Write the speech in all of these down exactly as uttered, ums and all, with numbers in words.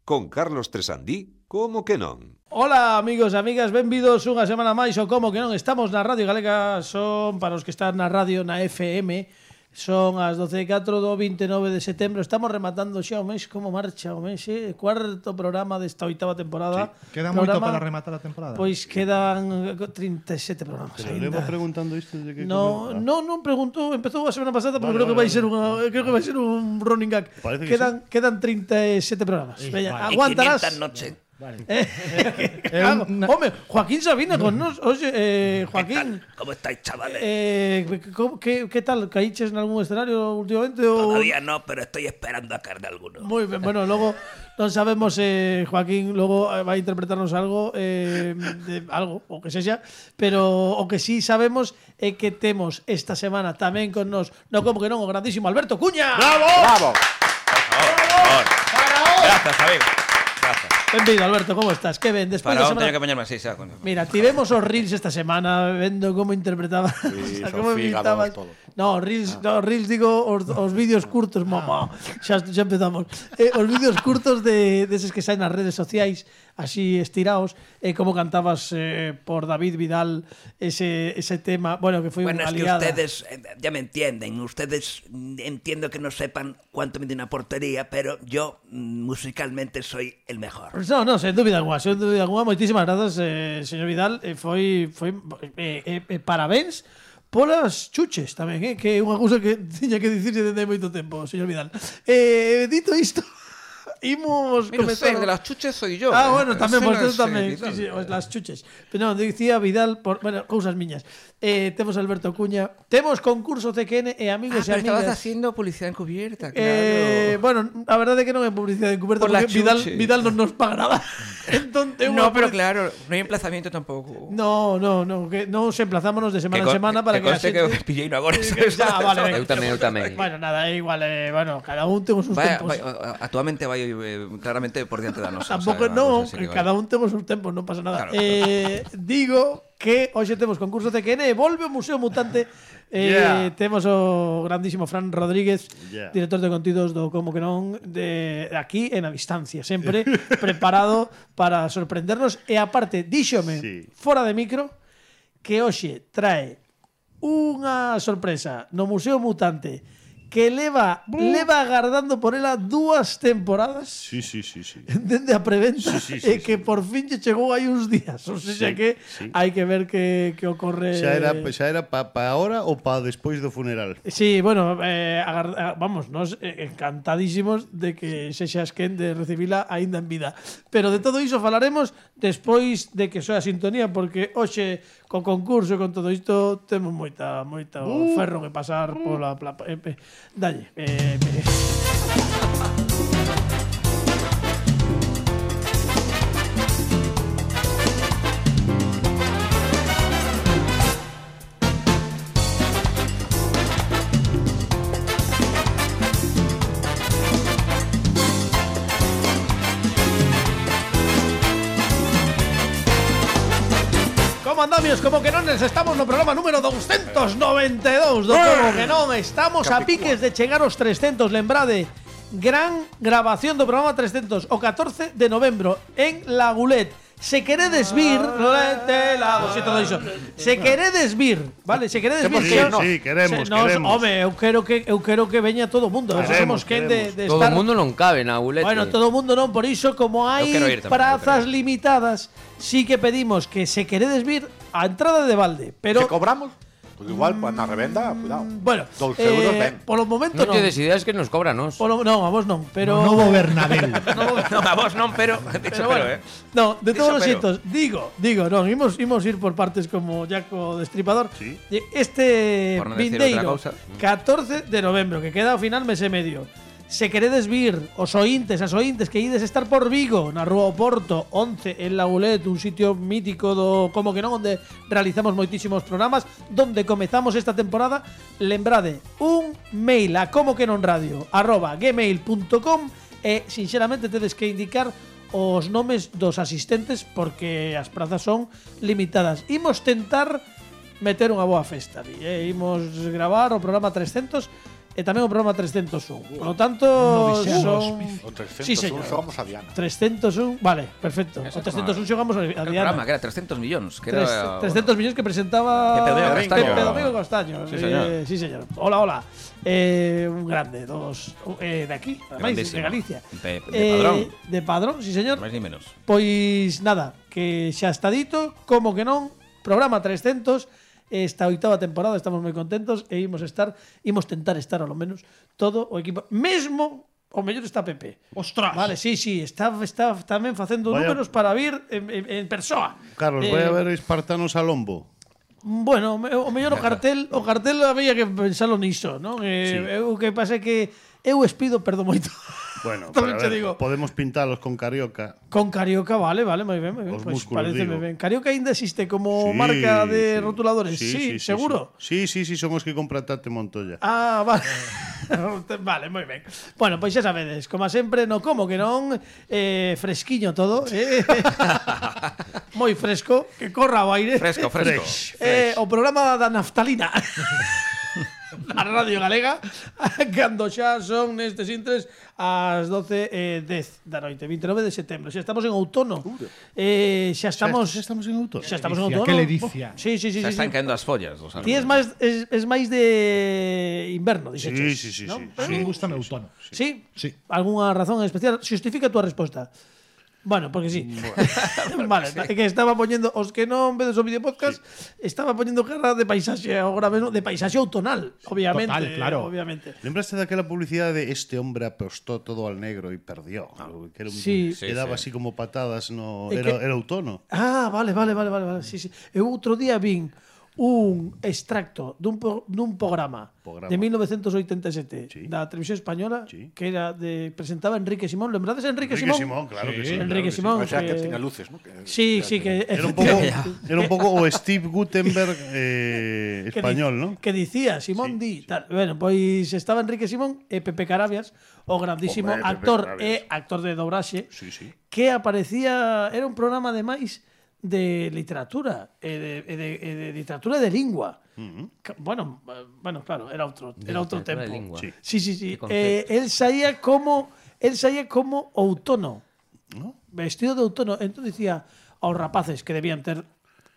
Con Carlos Tresandí, como que non? Ola, amigos e amigas, benvidos unha semana máis ou como que non. Estamos na Radio Galega, son para os que están na radio, na F M. Son as doce e catro do vinte e nove de setembro. Estamos rematando xa o mes. Como marcha o mes, eh? Cuarto programa desta oitava temporada. Sí. Queda programa, moito para rematar a temporada. Pois quedan trinta e sete programas. Pero levo preguntando isto desde que No, come... no, non preguntou, empezou a semana pasada, pero vale, creo que vale, vai ser unha, creo que vai ser un running gag. Parece que Quedan sí. quedan trinta e sete programas. Sí, Veña, vale. aguantarás. quinientas noches. Vale. Eh, claro, una... Home, Joaquín Sabina con nos. Oxe, eh, Joaquín, ¿Cómo estáis, chavales? eh, ¿qué, ¿qué tal? ¿Caíches en algún escenario últimamente? O... Todavía no, pero estoy esperando a caer de alguno. Muy bien, bueno, luego non sabemos, eh, Joaquín luego vai a interpretarnos algo, eh, de algo, o que sexa, pero o que sí sabemos é que temos esta semana tamén con nos, no como que non, o grandísimo Alberto Cuña. ¡Bravo! ¡Bravo! Gracias, amigo. Gracias. Benvido, Alberto, como estás? Que ben, despois Para da onde semana... teño que poñerme así, xa. Mira, tivemos os reels esta semana vendo como interpretaba, Sí, o sea, como Sofía, imitabas. todo. No, reels, no, reels digo os, os vídeos curtos, mamá. Xa, xa empezamos. Eh, os vídeos curtos de deses que saen nas redes sociais, así estirados, eh, como cantabas eh, por David Vidal ese ese tema, bueno, que foi Bueno, unha es que aliada. ustedes eh, ya me entienden. Ustedes mm, entiendo que no sepan cuánto mide una portería, pero yo mm, musicalmente soy el mejor. No, no, sen dúbida alguna, sen dúbida alguna. Moitísimas grazas, eh, señor Vidal. Eh, foi foi eh, eh, parabéns polas chuches tamén, eh, que é unha cousa que tiña que dicirse desde hai moito tempo, señor Vidal. Eh, dito isto, imos Mira, comezar. usted, de las chuches soy yo. Ah, eh. bueno, tamén, Ese por no eso es, tamén, eh, sí, Vidal. sí, os las chuches. Pero non, dicía Vidal, por, bueno, cousas miñas. Eh, temos a Alberto Cuña, temos concurso C Q N e amigos Ah, e pero estabas amigas. haciendo publicidad encubierta, claro. Eh, bueno, a verdade é que non é publicidade encubierta Por la porque Vidal, chuche. Vidal non nos paga nada. Entón, é unha No, pero publi- claro, no hay emplazamiento tampoco. No, no, no, que non se emplazámonos de semana Que en con- semana para que que, conste a xente... que pillei no agora. Que xa, vale, venga. Eu tamén, eu tamén. Bueno, nada, é igual, eh, bueno, cada un temos uns Vaya, tempos. vaya, actualmente vai eh, claramente por diante da nosa. Tampouco o sea, non, unha cosa así que cada vai. un temos uns tempos, non pasa nada. Claro. Eh, digo que hoxe temos concurso C Q N e volve o Museo Mutante. Eh, Yeah. Temos o grandísimo Fran Rodríguez, Yeah. director de contidos do Como que non, de aquí en a distancia, sempre preparado para sorprendernos. E aparte, díxome, Sí. fora de micro, que hoxe trae unha sorpresa no Museo Mutante que leva leva agardando por ela dúas temporadas. Sí, sí, sí, sí. Dende a preventa, Sí, sí, sí, e que sí. por fin lle chegou hai uns días. O sea Sí, que sí. hai que ver que, que ocorre. Xa era, xa era pa, pa ahora ou pa despois do funeral? Sí, bueno, eh, agar- a- vamos, nos eh, encantadísimos de que sexas quen de recibila aínda en vida. Pero de todo iso falaremos despois de que soe a sintonía, porque hoxe co concurso e con todo isto temos moita moita Uh. ferro que pasar pola pla, eh, eh, dalle. Eh, eh. Como andamios, como que non, estamos no programa número doscientos noventa e dous do Como que non, estamos a piques de chegar aos trescentos, lembrade, gran grabación do programa trescentos, o catorce de novembro en Lagulet. Se queredes vir, Lagulet, Lago, si todo iso. Se queredes vir, vale, se queredes vir, Sí, que- sí, queremos, se- nos- queremos. Home, eu quero que eu quero que veña todo o mundo, a ver se Queremos, somos quen de, queremos. de Todo estar. o mundo non cabe na bulete. Bueno, todo o mundo non, por iso como hai quero ir tamén, prazas eu quero limitadas, sí que pedimos que se queredes vir a entrada de balde, pero Se cobramos? Pues igual, pues na revenda, cuidado. bueno, Doce euros, ben. polo momento Non non. tedes ideas que nos cóbranos. Polo, non, a vos non, pero No novo Bernabéu. No, a vos non, pero. Dicho Pero bueno, pero, eh. no, de Diso todos los pero. hitos, digo, digo, non, imos, imos ir por partes como Jaco Destripador. Sí. Este Por non decir vindeiro, outra cousa. catorce de novembro, que queda ao final mes e medio. Se queredes vir, os ointes, as ointes que ides estar por Vigo, na Rúa Oporto, once, en Lagulet, un sitio mítico do Como que non, onde realizamos moitísimos programas, donde comezamos esta temporada, lembrade, un mail a como que non radio, arroba gmail punto com, e, sinxeramente, tedes que indicar os nomes dos asistentes, porque as prazas son limitadas. Imos tentar meter unha boa festa, eh? Imos gravar o programa trescentos, e tamén o programa trescentos un. Por lo tanto, son O trescentos Sí, señor. xogamos a Diana. trescentos un, vale, perfecto. O trescentos un xogamos a El Diana. programa, que era trescentos millóns. Que Tres- era, trescentos millóns que presentaba Pepe Domingo Castaño. Pepe Domingo Castaño. Sí, señor. Eh, sí, señor. Hola, hola. Eh, un grande, dos eh, de aquí, ademais, de Grandísimo. Galicia. De- de Eh, Padrón. De Padrón, sí, señor. Máis ni menos. Pois nada, que xa está dito, como que non, programa trescentos, esta oitava temporada estamos moi contentos e imos estar, imos tentar estar ao menos todo o equipo, mesmo o mellor está Pepe. Ostras. Vale, sí, sí, está, está tamén facendo Vaya- números para vir en, en, en persoa. Carlos, Eh, vai a ver espartanos a lombo. Bueno, o me- o mellor o cartel, o cartel había que pensalo niso, non? Eh, eu que pasa é que eu espido, perdo moito. Bueno, Tamén pero a che ver, digo. podemos pintalos con carioca. Con Carioca, vale, vale, moi ben, moi ben. Os Pois músculos, pareceme digo. ben. Carioca ainda existe como Sí, marca de sí. rotuladores. Sí, seguro. Sí, sí, sí, son os que comprataste Montoya. Ah, vale. Vale, moi ben. Bueno, pois xa sabedes, como sempre, no como que non, eh, fresquiño todo, eh. Moi fresco, que corra o aire. Fresco, fresco. Eh, o programa da naftalina. Na Radio Galega, cando xa son nestes intres as doce e dez da noite, vinte e nove de setembro. Xa estamos en outono. Eh, xa estamos Xa estamos en autor. xa estamos en Ledicia, outono. que ledicia. Sí, sí, sí, Se sí. están sí. caendo as follas. Os Ti es máis es, es máis de inverno, Sí, dixeches. sí, sí, ¿no? sí. A mí me gusta en outono. Sí? Sí. Algunha razón en especial? Xustifica a túa resposta. Bueno, porque sí. Vale, é que estaba poñendo os que non vedes o vídeo podcast, estaba poñendo cara de paisaxe agora mesmo, de paisaxe outonal, obviamente, Total, claro. obviamente. ¿Lembraste daquela publicidade de este hombre apostó todo al negro y perdió? Que era un, Sí. que daba así como patadas, no, É era, que- era outono. Ah, vale, vale, vale, vale, vale. Sí, sí. Eu outro día vin un extracto dun, pro- dun programa, Programa. de mil novecientos oitenta e sete Sí. da televisión española Sí. que era de presentaba Enrique Simón. Lembrades a Enrique, Enrique Simón? Simón, claro que sí. Enrique claro que sí. Simón. O sea, que que- tiña luces, ¿no? Que- Sí, sí, que Era un pouco, era un pouco o Steve Gutenberg eh, que español, di- ¿no? Que dicía Simón Di, tal. Bueno, pois estaba Enrique Simón e Pepe Carabias, o grandísimo Hombre, Pepe actor Carabias. e actor de dobraxe, Sí, sí. que aparecía, era un programa ademais de literatura e de, e de, e de literatura de lingua. Ca- Bueno, eh, bueno, claro, era outro, era outro literatura tempo. de lingua. Sí. Sí, sí, sí. Que Eh, el saía como el saía como outono. ¿No? Vestido de outono. Entón dicía aos rapaces que debían ter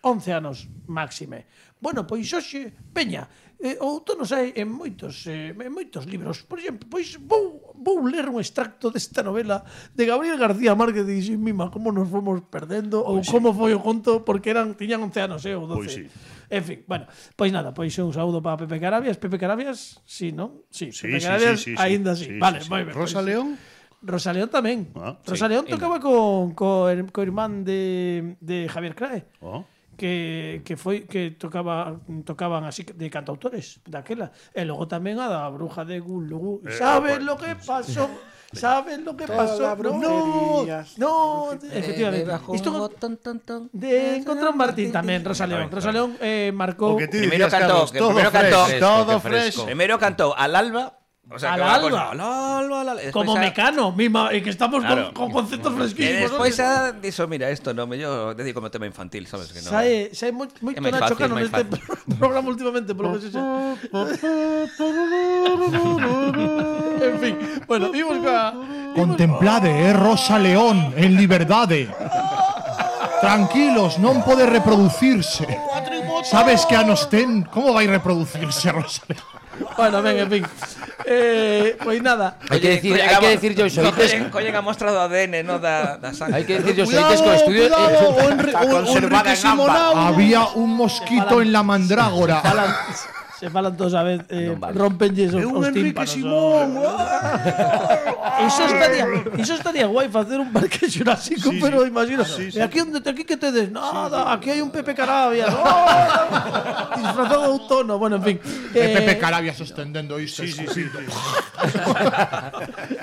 once anos máxime. Bueno, pois hoxe, veña, eh, o outono sai en moitos eh, en moitos libros. Por exemplo, pois vou, vou ler un extracto desta novela de Gabriel García Márquez de Sin Mima, como nos fomos perdendo ou como foi o conto, porque eran tiñan once anos, eh, ou doce. Pois sí. En fin, bueno, pois nada, pois un saúdo para Pepe Carabias. Pepe Carabias, sí, non? Sí, Sí, Pepe sí, Carabias, sí, sí, sí. aínda sí. Sí, Vale, sí, sí. moi ben. Rosa pois- León? Rosa León tamén. Ah, Rosa León tocaba con co, her- co irmán de, de Javier Crae. Oh. Que, que foi que tocaba tocaban así de cantautores daquela. E logo tamén a da bruja de Gulugú. Eh, ¿Sabes bueno, lo que pasó? ¿Sabes lo que Toda pasó? la No, brujería. no, efectivamente. Isto con- de Encontrón Martín tamén, Rosa León. Rosa León eh, marcou O que ti Primeiro dicías, cantó, Carlos, que todo primeiro fresh, cantó- Fresco, todo que fresh. fresco. Primero cantó al alba. O sea, Al que una alba. cosa, al alba, al alba. y después como ya- Mecano, misma, e que estamos Claro. con, con conceptos Y fresquísimos. después ¿no? ya dijo, mira, esto no, me yo dedico como tema infantil, ¿sabes? Que no. Sae, sae moi, moito É máis Nacho fácil, Cano máis neste fácil. programa últimamente, polo que se En fin, bueno, vimos ca... Contemplade, é Rosa León en liberdade. Tranquilos, non pode reproducirse. Sabes que anos ten? Como vai reproducirse Rosa León? Bueno, ben, en fin. Eh, pois nada. Hai que decir, hai que decir yo xoites, Collen ha mostrado A D N, no da, da sangre. hai que decir yo xoites co estudio cuidado, eh, o, Enri, Está o, o conservada Enrique en ámbar. Simonau. Había un mosquito en la mandrágora. Falan, se falan todos a vez, eh, Non vale. rompenlles os, É un os Enrique tímpanos. Simón. Iso estaría, iso estaría guai facer un parque xurásico, Sí, pero sí. imagina, Sí, sí. e aquí onde te aquí que tedes, nada, aquí hai un Pepe Carabias. Oh, disfrazado de outono, bueno, en fin. E Eh, Pepe Carabias extendendo isto. Sí, sí, sí.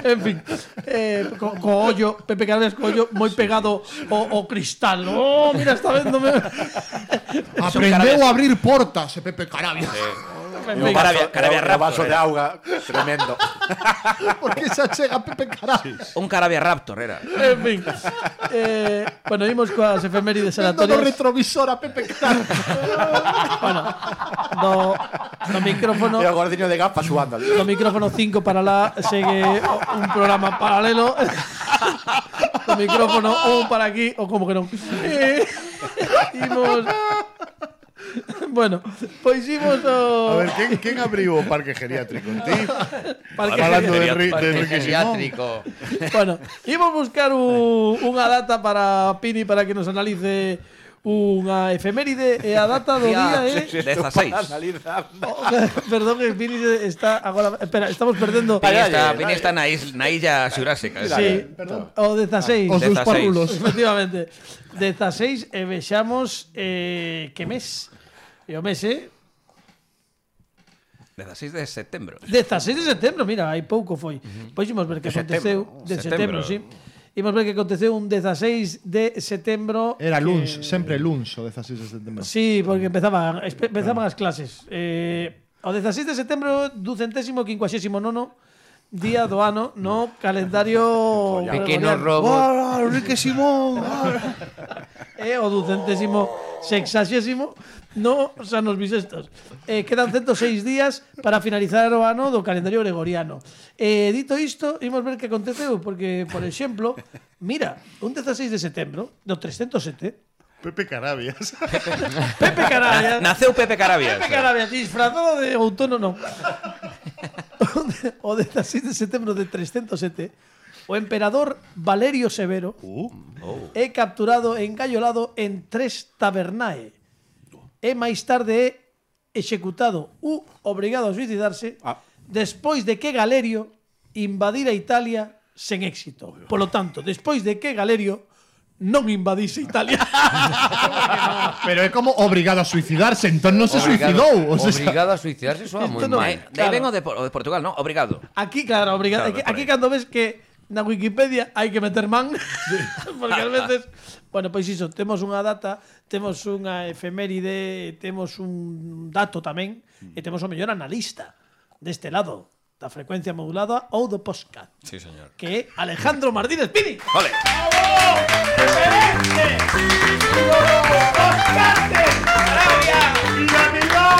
En fin, eh, co, co ollo, Pepe Carabias co ollo moi pegado ao, ao cristal. Oh, mira, está vendome. Aprendeu a abrir portas, e Pepe Carabias. Un carabia, carabia Un vaso raptor. de Era. auga tremendo. Porque se achega Pepe Carabias. Un carabia raptor era. En fin. Eh, bueno, imos coas efemérides Vendo no aleatorias. retrovisor a Pepe Carabias. Bueno, no, no micrófono. E o gordiño de gafas suando. No micrófono cinco para lá segue un programa paralelo. No micrófono un para aquí o como que non. Eh, imos. Bueno, pois imos A o ver, ¿quién, quién abriu o parque geriátrico? Ti? parque Hablando de, geriátrico. Ri- de Parque Enrique Simón. geriátrico. Bueno, imos buscar un, unha data para Pini para que nos analice unha efeméride e a data do día é dezasseis. Oh, perdón, que Pini está agora. Espera, estamos perdendo. Pini está, Pini está na, is, na illa xurásica. Sí, o dezasseis. Os seus dezasseis. parrulos. Efectivamente. dezasseis e vexamos eh, que mes. E o mes é dezasseis de setembro. dezasseis de setembro, mira, hai pouco foi. Pois imos ver que De aconteceu de setembro, Setembro. sí. Imos ver que aconteceu un dezasseis de setembro. Era que- luns, sempre luns o dezasseis de setembro. Sí, porque empezaban, espe- empezaban as clases. Eh, o dezasseis de setembro do centésimo quincuaxésimo nono día do ano no calendario Pequenos gregoriano. robos. ¡Hola, Enrique Simón! E o ducentésimo sexagésimo no anos bisestos. Eh, quedan ciento seis días para finalizar o ano do calendario gregoriano. Eh, dito isto, imos ver que aconteceu, porque, por exemplo, mira, un dezasseis de setembro do trescentos sete, Pepe Carabias. Pepe Carabias, Naceu Pepe Carabias. Pepe Carabias, disfrazado de outono, non. O dezasseis de setembro de trescentos sete, o emperador Valerio Severo é capturado e engallolado en Tres Tabernae. E máis tarde é executado u obrigado a suicidarse Ah. despois de que Galerio invadira Italia sen éxito. Polo tanto, despois de que Galerio non invadise Italia. Pero é como obrigado a suicidarse, entón non se suicidou. O sea, Obrigado a suicidarse soa moi Esto no mal. Aí, de aí ven o de, Por- o de Portugal, ¿no? Obrigado. Aquí, claro, obrigado. Claro, aquí, por aquí aí. cando ves que na Wikipedia hai que meter man, porque ás veces, bueno, pois iso, temos unha data, temos unha efeméride, temos un dato tamén, e temos o mellor analista deste lado da frecuencia modulada ou do podcast, Sí, señor. que é Alejandro Martínez Pini. Ole.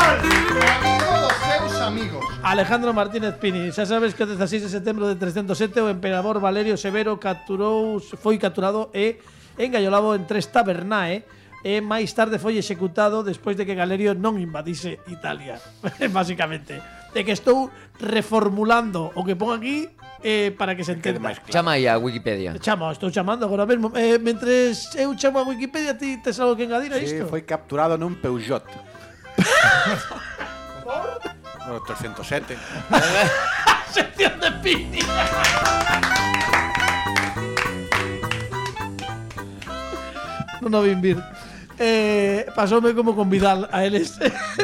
Todos seus amigos. Alejandro Martínez Pini, xa sabes que o dezasseis de setembro de trescentos sete o emperador Valerio Severo capturou, foi capturado e engallolado en Tres Tabernae e máis tarde foi executado despois de que Galerio non invadise Italia. Básicamente. De que estou reformulando o que pon aquí eh, para que se entenda. Chama aí a Wikipedia. Chamo, estou chamando agora mesmo. Eh, mentres eu chamo a Wikipedia, ti tes algo que engadir a Sí, isto? foi capturado nun Peugeot. No, trescentos sete. Sección de Pini. Non o vin vir. Eh, pasoume como con Vidal a eles.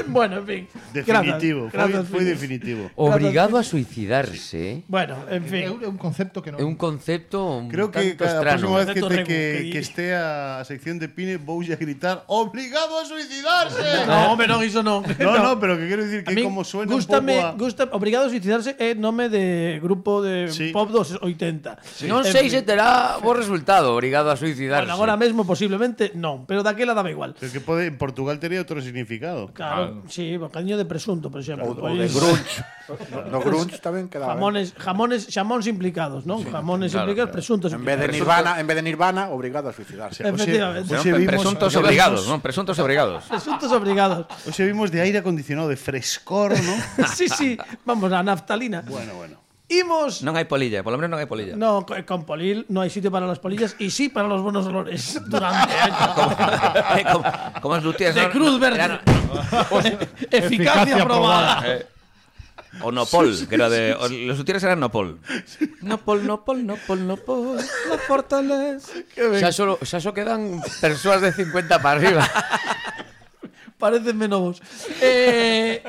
Bueno, en fin. Definitivo, Grazas, grazas, foi, foi Pini. definitivo. Obrigado a suicidarse. Bueno, en fin. É un concepto que non. É un concepto un Creo que tanto cada estrano. próxima vez que, Concepto te, regu- que, que- que esté a sección de Pine voulle a gritar ¡Obligado a suicidarse! No, hombre, non, iso non. No, no, pero que quero dicir A que min como suena gústame, un pouco a... gusta, Obrigado a suicidarse é nome de grupo de Sí. pop dos oitenta. Non En sei fin. se terá bo resultado. Obrigado a suicidarse. Bueno, agora mesmo posiblemente non, pero daquela daba igual. Pero que pode, en Portugal tería outro significado. Claro, sí, bocadinho de presunto, por exemplo. O, o de Pois- grunge. No, no grunge tamén quedaba. Jamones, jamones, xamóns implicados, non? Jamones claro, implicados, presuntos En vez de implicados. Nirvana, en vez de Nirvana, obrigado a suicidarse. Efectivamente. Hoxe Pre- vimos- Presuntos hoxe obrigados, vimos- ¿no? Presuntos obrigados. Presuntos obrigados. Hoxe vimos de aire acondicionado, de frescor, ¿no? Sí, sí, vamos, a naftalina. bueno, bueno. Imos. Non hai polilla, por lo menos non hai polilla. No, co- con polil no hay sitio para las polillas y sí para los buenos olores. Durante Eh, como, como os lutiers, de ¿no? Cruz Verde. Eran- Eficacia Eficacia probada. eh, o Nopol, que era de... o- Los lutiers eran Nopol. Nopol, Nopol, Nopol, Nopol, la fortaleza. Xa só, xa só quedan persoas de cincuenta para arriba. Parecenme novos. Eh,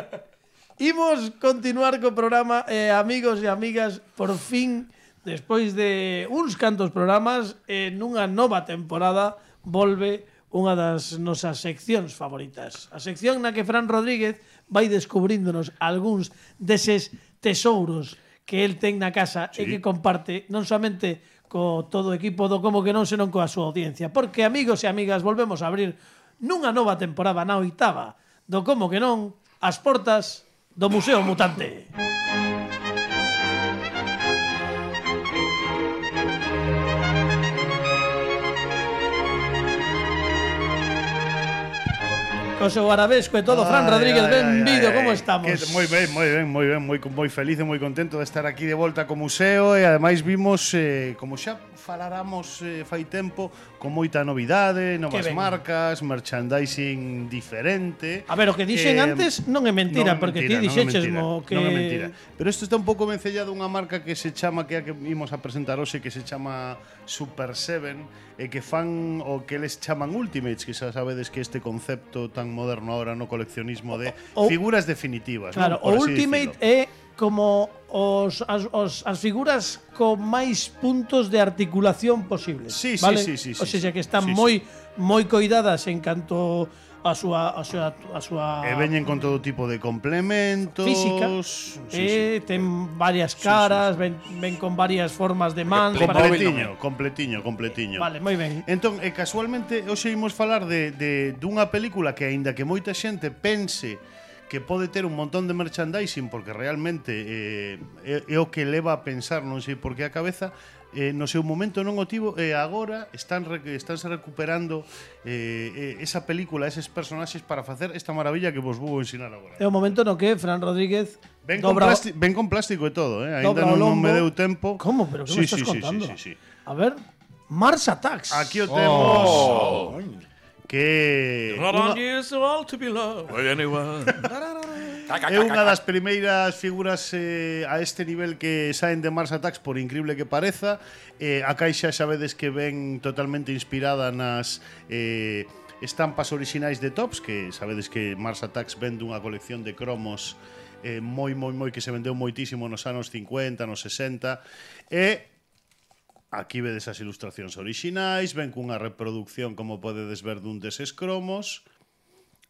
imos continuar co programa, eh, amigos e amigas, por fin, despois de uns cantos programas, en unha nova temporada, volve unha das nosas seccións favoritas. A sección na que Fran Rodríguez vai descubríndonos algúns deses tesouros que el ten na casa sí. e que comparte non somente co todo o equipo do Como que non, senón coa súa audiencia. Porque, amigos e amigas, volvemos a abrir nunha nova temporada, na oitava, do Como que non, as portas do Museo Mutante. Co seu arabesco e todo, Fran Rodríguez, benvido, como estamos? Que, moi ben, moi ben, moi ben, moi, moi feliz e moi contento de estar aquí de volta co museo e ademais vimos, eh, como xa faláramos eh, fai tempo, con moita novidade, novas marcas, merchandising diferente. A ver, o que dixen eh, antes non é mentira, non é porque mentira, ti dixeches mo que... Non é mentira, pero isto está un pouco vencellado unha marca que se chama, que é a que imos a presentar hoxe, que se chama Super Seven, e que fan o que eles chaman Ultimates, que xa sabedes que este concepto tan moderno ahora no coleccionismo de o, figuras definitivas. Claro, ¿no? O Ultimate é como os, as, os, as figuras con máis puntos de articulación posibles. Sí, ¿vale? sí, sí, sí. O sea, sí, que están sí, moi sí. moi coidadas en canto a súa a súa a súa E veñen con todo tipo de complementos física. Sí, eh, sí. ten varias caras, sí, sí, sí. Ven, ven con varias formas de mans, completiño, completiño, completiño. Vale, moi ben. Entón, e casualmente hoxe imos falar de, de dunha película que aínda que moita xente pense que pode ter un montón de merchandising porque realmente eh, é, é o que leva a pensar, non sei por que a cabeza, eh, no seu momento non o tivo e agora están estánse recuperando eh, esa película, eses personaxes para facer esta maravilla que vos vou ensinar agora. É o momento no que Fran Rodríguez ven con, plástico, ven con plástico e todo, eh? Ainda non, non me deu tempo. Como? Pero que sí, me estás sí, contando? Sí, sí, sí, sí. A ver, Mars Attacks. Aquí o temos. Oh. Que unha, é unha das primeiras figuras eh, a este nivel que saen de Mars Attacks, por increíble que pareza. Eh, a caixa xa vedes que ven totalmente inspirada nas eh, estampas orixinais de Tops, que sabedes que Mars Attacks vende unha colección de cromos eh, moi, moi, moi que se vendeu moitísimo nos anos cincuenta, nos sesenta, e aquí vedes as ilustracións orixinais, ven cunha reproducción, como podedes ver, dun deses cromos,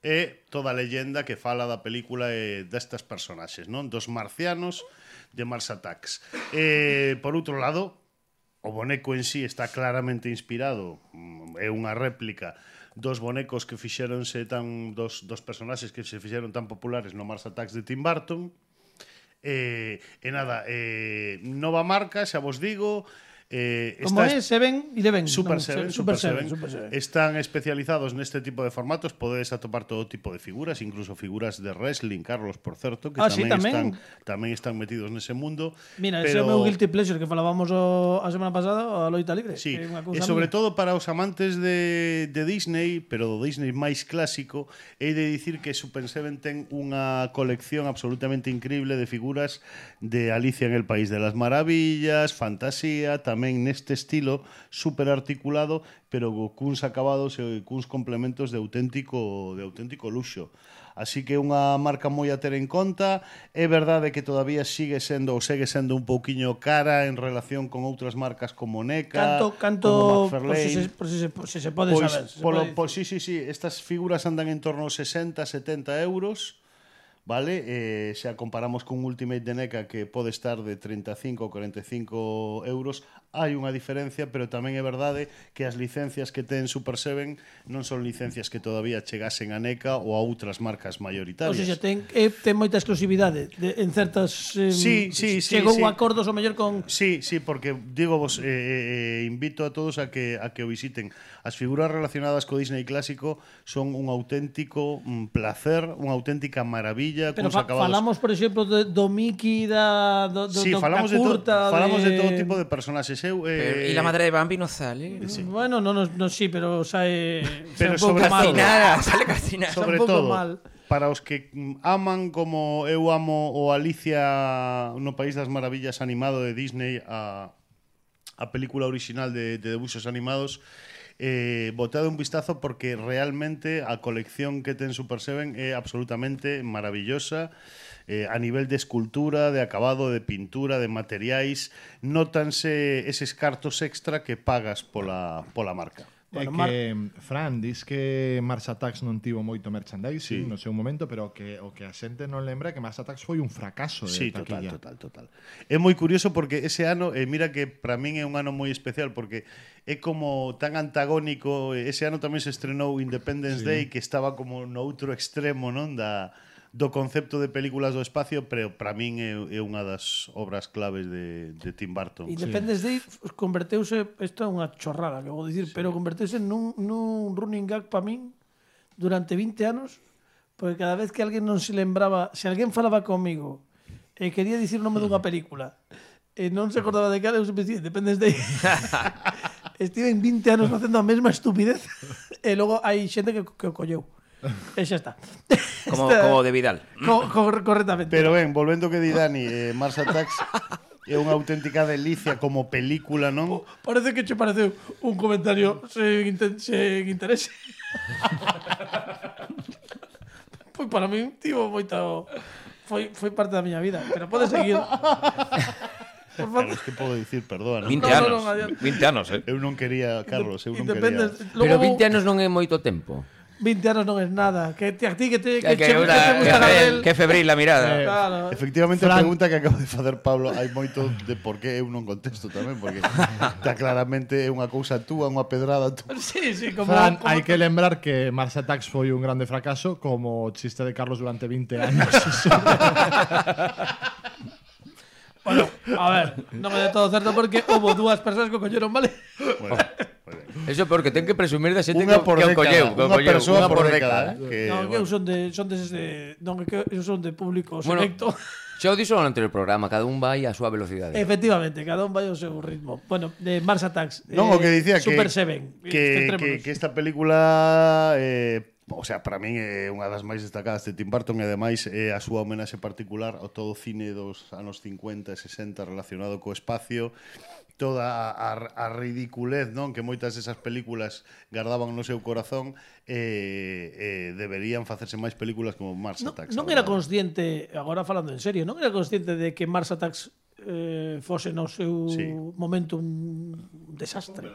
e toda a leyenda que fala da película e destas personaxes, non? Dos marcianos de Mars Attacks. E, por outro lado, o boneco en sí está claramente inspirado, é unha réplica dos bonecos que fixéronse tan dos, dos personaxes que se fixeron tan populares no Mars Attacks de Tim Burton. E, e nada, e, nova marca, xa vos digo. Eh, Como é Seven Eleven? Super, no, Seven, Super, Super, Seven, Seven. Super Seven. Están especializados neste tipo de formatos. Podedes atopar todo tipo de figuras, incluso figuras de wrestling, Carlos, por certo, que ah, tamén, sí, tamén. Están, tamén están metidos nese mundo. Mira, pero... ese é o meu guilty pleasure que falábamos o, a semana pasada, a loita libre. Sí, e sobre mía. todo para os amantes de, de Disney, pero do Disney máis clásico, hei de dicir que Super Seven ten unha colección absolutamente increíble de figuras de Alicia en el País de las Maravillas, fantasía, tamén neste estilo super articulado, pero cuns acabados e cuns complementos de auténtico de auténtico luxo. Así que unha marca moi a ter en conta. É verdade que todavía sigue sendo ou segue sendo un pouquiño cara en relación con outras marcas como NECA, canto, canto, como McFarlane. Por si se, por si se, por si se pode pois, saber. Se polo, pode pois, sí, sí, sí. Estas figuras andan en torno aos sesenta, setenta euros. Vale, eh, se a comparamos cun Ultimate de NECA que pode estar de treinta e cinco ou cuarenta e cinco euros, hai unha diferencia, pero tamén é verdade que as licencias que ten Super Seven non son licencias que todavía chegasen a NECA ou a outras marcas mayoritarias. O sea, ten, eh, ten moita exclusividade de, en certas... Eh, sí, sí, sí. Chegou sí. acordos o mellor con... Sí, sí, porque digo vos, eh, eh, invito a todos a que a que o visiten. As figuras relacionadas co Disney clásico son un auténtico mm, placer, unha auténtica maravilla. Pero fa, falamos, por exemplo, de, do Mickey, da, do, do, sí, do falamos, da curta, de, to, falamos de... de todo tipo de personaxes. Eu, eh, ¿Y la madre de Bambi no sale? Sí. Bueno, no, no, no sí, pero sae, pero sae un pouco mal. Calcinada, sale calcinada. Sobre un pouco todo, mal. Para os que aman como eu amo o Alicia no País das Maravillas animado de Disney, a, a película original de, de debuxos animados, eh, botade un vistazo porque realmente a colección que ten Super Seven é absolutamente maravillosa. Eh, a nivel de escultura, de acabado, de pintura, de materiais, nótanse eses cartos extra que pagas pola, pola marca. É Bueno, Mar- que, Fran, dis que Mars Attacks non tivo moito Sí. merchandising no seu momento, pero que o que a xente non lembra é que Mars Attacks foi un fracaso de Sí, total, taquilla. total, total. É moi curioso porque ese ano, eh, mira que para min é un ano moi especial porque é como tan antagónico, ese ano tamén se estrenou Independence sí. Day que estaba como no outro extremo, non, da do concepto de películas do espacio, pero para min é, é unha das obras claves de, de Tim Burton. Independence Day converteuse, isto é unha chorrada que vou dicir, sí. pero converteuse nun, nun running gag para min durante vinte anos, porque cada vez que alguén non se lembraba, se alguén falaba comigo e quería dicir o nome dunha película e non se acordaba de cal, eu sempre dicía Independence Day. Estiven vinte anos facendo a mesma estupidez e logo hai xente que, que o colleu. E xa está. Como, Está- como de Vidal. Co, co, correctamente. Pero ben, volvendo que di Dani, eh, Mars Attacks é unha auténtica delicia como película, non? Parece que che pareceu un comentario sen, inten sen interese. Pois para min tivo moito foi foi parte da miña vida, pero pode seguir. Por favor. Claro, es que podo dicir, perdón. vinte No, no, anos. no, adiante. vinte anos, eh. Eu non quería, Carlos, eu non Independence- quería. Pero Logo, vinte anos non é moito tempo. vinte anos non é nada. Que te, a ti que te, que, Que, che, que, que una, te gusta que, Gardel. Que febril la mirada. Eh, Claro. Efectivamente, Fran- a pregunta que acabo de facer Pablo hai moito de por que eu non contesto tamén, porque está claramente unha cousa túa, unha pedrada túa. Sí, sí, como, Fran, como hai que lembrar que Mars Attacks foi un grande fracaso como o chiste de Carlos durante vinte anos. Bueno, a ver, non é de todo certo porque houve dúas persoas que o colleron, vale? Bueno, moi ben. Eso porque ten que presumir da xente Unha que, por que o década, colleu. que o unha colleu, persoa unha por década. eh, que, Non, que eu bueno. son de son deses de non, que eu son de público Bueno, selecto. xa o dixo no anterior programa, cada un vai á súa velocidade. Efectivamente, cada un vai ao seu ritmo. Bueno, de Mars Attacks. Non, o que dicía que Super Seven. que, que, que esta película eh, o sea, para min é unha das máis destacadas de Tim Burton e ademais é a súa homenaxe particular ao todo o cine dos anos cincuenta e sesenta relacionado co espacio, toda a, a ridiculez, non, que moitas desas películas gardaban no seu corazón e eh, eh, deberían facerse máis películas como Mars Non, Attacks. non a era verdade. consciente, agora falando en serio, non era consciente de que Mars Attacks eh, fose no seu Sí. momento un desastre.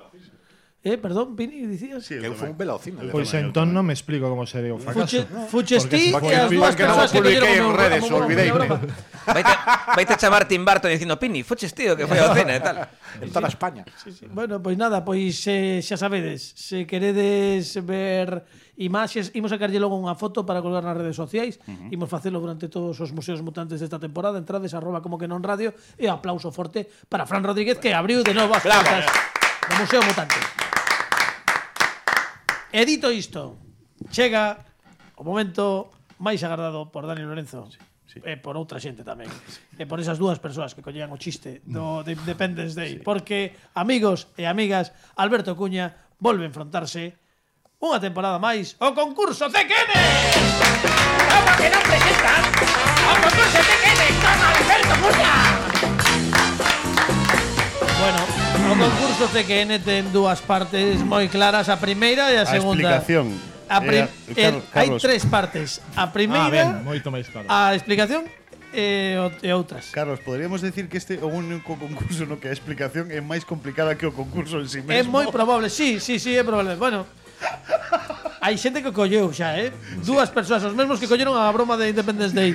Eh, perdón, Pini, dicías? Sí, Que eu foi tamén. un velocino. Eu Pois tamén, eu entón tamén. non me explico como se deu o fracaso. Fuche, fuches ti Porque e as se dúas que non persoas que publiquei colleron en o meu- redes, o meu- olvideime. o meu broma. Vaite, vaite a chamar Tim Burton dicindo Pini, foches tío que foi ao cine e tal. En toda España. Sí, sí. Bueno, pois nada, pois eh, xa sabedes, se queredes ver imaxes, imos sacarlle logo unha foto para colgar nas redes sociais, uh-huh. imos facelo durante todos os museos mutantes desta temporada, entrades arroba como que non radio e aplauso forte para Fran Rodríguez que abriu de novo as portas do Museo Mutante. E dito isto, chega o momento máis agardado por Dani Lorenzo. Sí. Sí. E por outra xente tamén. E por esas dúas persoas que collean o chiste do de Independence Day. Sí. Porque, amigos e amigas, Alberto Cuña volve a enfrontarse unha temporada máis ao concurso C Q N! ¿Cómo que no presentan? ¡Al concurso T Q N con Alberto Cuña! Bueno, o concurso C Q N ten dúas partes moi claras, a primeira e a A segunda. explicación. A prim- Eh, el- Carlos- hai Carlos. tres partes. A Ah, primeira, ben, moito máis claro. a explicación e, o- e outras. Carlos, podríamos decir que este é o único concurso no que a explicación é máis complicada que o concurso en si É mesmo. moi probable, sí, sí, sí, é probable. Bueno, hai xente que colleu xa, eh? Dúas persoas, os mesmos que colleron a broma de Independence Day.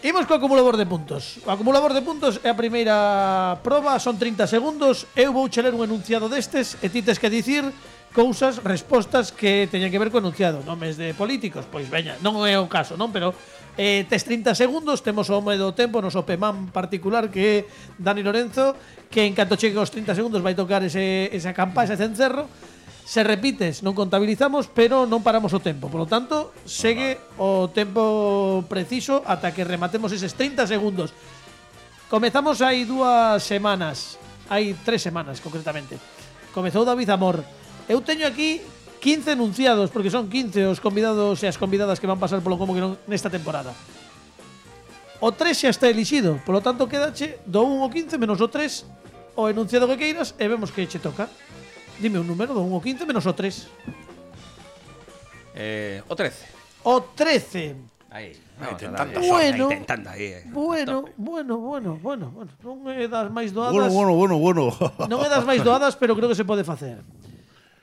Imos co acumulador de puntos. O acumulador de puntos é a primeira proba, son trinta segundos. Eu vou che ler un enunciado destes e ti tes que dicir cousas, respostas que teñen que ver co enunciado. Nomes de políticos, pois veña, non é o caso, non? Pero eh, tes trinta segundos, temos o home do tempo, noso Pemán particular que é Dani Lorenzo, que en canto chegue aos trinta segundos vai tocar ese, esa campa, ese cencerro. Se repites, non contabilizamos, pero non paramos o tempo. Por lo tanto, segue o tempo preciso ata que rematemos eses trinta segundos. Comezamos hai dúas semanas, hai tres semanas concretamente. Comezou David Amor. Eu teño aquí quince enunciados, porque son quince os convidados e as convidadas que van pasar polo Como que non nesta temporada. O tres xa está elixido, polo tanto quedache do un ao quince menos o tres o enunciado que queiras e vemos que che toca. Dime un número do un ao quince menos o tres. Eh, o trece. O trece. Aí. Aí, Vamos ten a tantas. darlle. Bueno. Aí, tentando aí. eh. Bueno, bueno, bueno, bueno, bueno. Non é das máis doadas. Bueno, bueno, bueno, bueno. Non é das máis doadas, pero creo que se pode facer.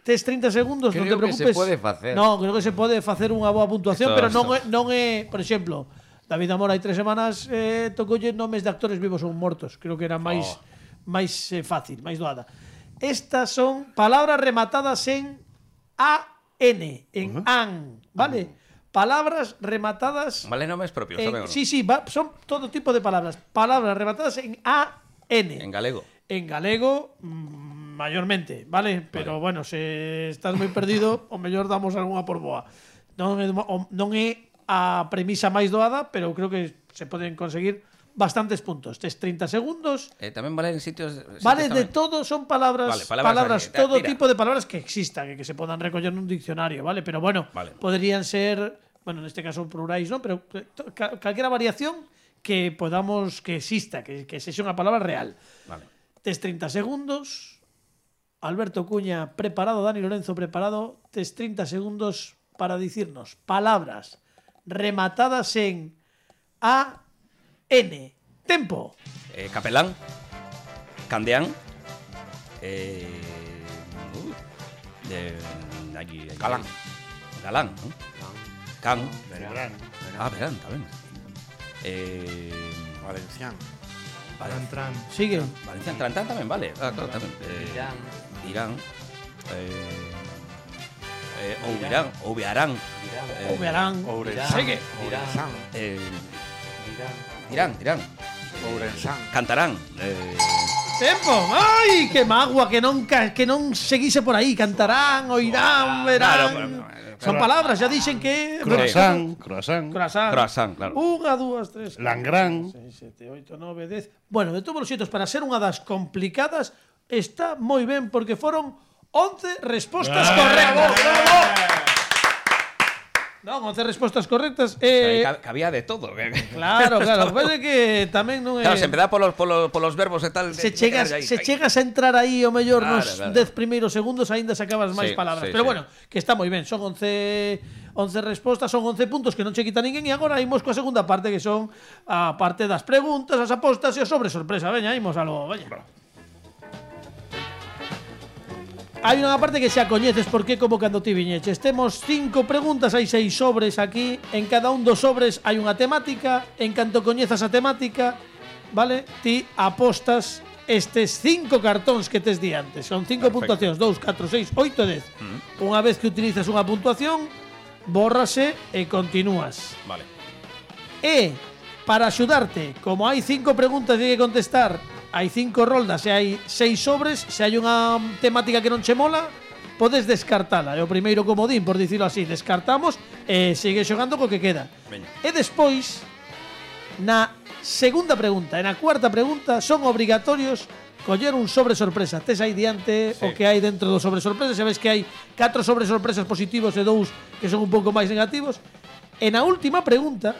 tes trinta segundos, non te Creo que se preocupes. pode facer. Non, creo que se pode facer unha boa puntuación, Esto, pero non esto. é, non é, por exemplo, David Amor hai tres semanas eh, tocoulle nomes de actores vivos ou mortos. Creo que era máis Oh. máis eh, fácil, máis doada. Estas son palabras rematadas en A N, en uh-huh. an, vale? Uh-huh. Palabras rematadas Vale, nomes propios, en, saben o no? sí, sí, va, son todo tipo de palabras. Palabras rematadas en A N. En galego. En galego, mmm, mayormente, ¿vale? Pero vale. Bueno, se estás moi perdido, o mellor damos algunha por boa. Non é, non é a premisa máis doada, pero creo que se poden conseguir bastantes puntos. Tes trinta segundos. Eh, tamén vale en sitios... Vale sitios de tamén. todo, son palabras, Vale, palabras palabras, aquí, todo tira. tipo de palabras que existan, que, que se podan recoller nun diccionario, ¿vale? Pero bueno, Vale. podrían ser, bueno, neste caso plurais, ¿no? Pero cal, calquera variación que podamos, que exista, que, que sexa unha palabra real. Vale. Tes trinta segundos. Alberto Cuña preparado, Dani Lorenzo preparado. Tes trinta segundos para dicirnos palabras rematadas en A N. Tempo. Eh, capelán. Candeán. Eh, uh, de, allí, allí. Galán. Galán, ¿no? Can. Verán. Ah, verán, tamén. Eh, Valencián. Tran, tran. Sigue. Valencian Trantán tamén vale. Ah, claro, tamén. Eh, Irán. Irán. Eh, eh, Ouvirán. Ouviarán. Eh, O verán. Ourensán. Sigue. Ourensán. Eh, dirán, dirán. Ourensán. Cantarán. Eh, Tempo. Ai, que magua, que non ca- que non seguise por aí. Cantarán, oirán, verán. claro, pero- Son palabras, ya dixen que Croissant, croissant. Croissant. Croissant, claro. Unha, dúas, tres. Langrán. seis, sete, oito, nove, dez. Bueno, de todos os xeitos, para ser unha das complicadas, está moi ben porque foron once respostas correctas. Non, once respostas correctas. Eh, Aí cab- cabía de todo. claro, claro. Parece que tamén non é... Claro, se empezaba polos, polos, polos verbos e tal. Se de- chegas, de- se aí. chegas a entrar aí o mellor Claro, nos claro. dez primeiros segundos aínda sacabas máis Sí, palabras. sí, Pero sí. bueno, que está moi ben, son once once respostas, son once puntos que non che quita ninguén e agora imos coa segunda parte que son a parte das preguntas, as apostas e o sobre sorpresa. Veña, imos algo, veña. Hai unha parte que xa coñeces porque como cando ti viñeches. Temos cinco preguntas, hai seis sobres aquí. En cada un dos sobres hai unha temática. En canto coñezas a temática, vale? Ti apostas estes cinco cartóns que tes diante. Son cinco Perfecto. puntuacións, dous, catro, seis, oito, dez. Mm. Unha vez que utilizas unha puntuación, bórrase e continúas. Vale. E para axudarte, como hai cinco preguntas que hai que contestar, hai cinco roldas e hai seis sobres, se hai unha temática que non che mola, podes descartala. É o primeiro comodín, por dicirlo así. Descartamos e sigue xogando co que queda. Veña. E despois, na segunda pregunta e na cuarta pregunta, son obrigatorios coller un sobre sorpresa. Tes aí diante Sí. o que hai dentro do sobre sorpresa. Sabes que hai catro sobre sorpresas positivos e dous que son un pouco máis negativos. E na última pregunta,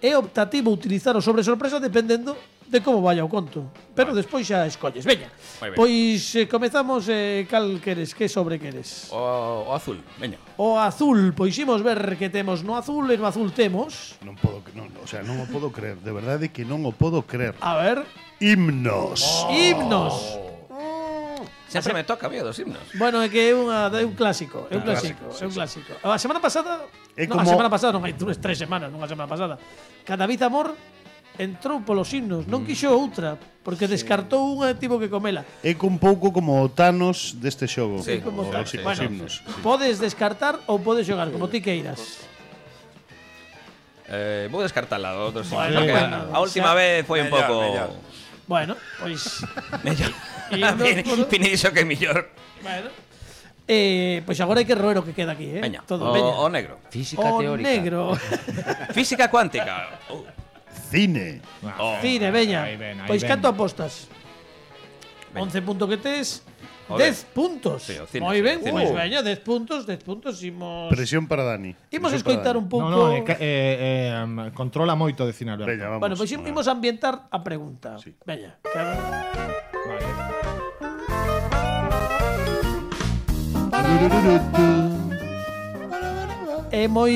é optativo utilizar o sobre sorpresa dependendo de como vaya o conto. Pero vale. Despois xa escolles. Veña, Moi ben. pois eh, comezamos. Eh, cal queres? Que sobre queres? O, o azul, veña. O azul. Pois imos ver que temos no azul. E no azul temos... Non podo, non, o sea, non o podo creer, de verdade que non o podo creer. A ver... Himnos. Himnos. Sempre me toca, mío, dos himnos. Bueno, é que é, unha, é un clásico. É un Ah, clásico. clásico, É un clásico. A semana pasada... É non, a como- semana pasada non hai tres, tres semanas, non a semana pasada. David Amor entrou polos himnos. Non quixo outra, porque descartou unha e tivo que comela. É un pouco como o Thanos deste xogo. Sí, como como os, sí, os bueno, himnos. Sí. Podes descartar ou podes xogar, como ti queiras. Eh, vou descartala do outro Bueno, porque bueno, a, a última xa- vez foi un Mellor, pouco mellor. Bueno, pois... mellor. Himnos Pini- por- Pini dixo que é mellor. bueno. Eh, pois agora hai que roer o que queda aquí, eh? Veña, Todo, o, veña. o negro. Física O teórica. negro. Física cuántica. Oh. Cine. Oh. Cine, veña. Aí ven, aí Pois ven. canto apostas? Veña. once puntos que tes, O dez dez. puntos. Sí, o cine, Moi sí, ben, o cine. pois Uh. veña, dez puntos, dez puntos, imos... Presión para Dani. Imos Presión escoitar para un Dani. pouco... No, no, é que, eh, eh, controla moito de cine, Alberto. Veña, vamos. Bueno, pois imos ambientar a pregunta. Sí. Veña. Que a ver. Vale. É moi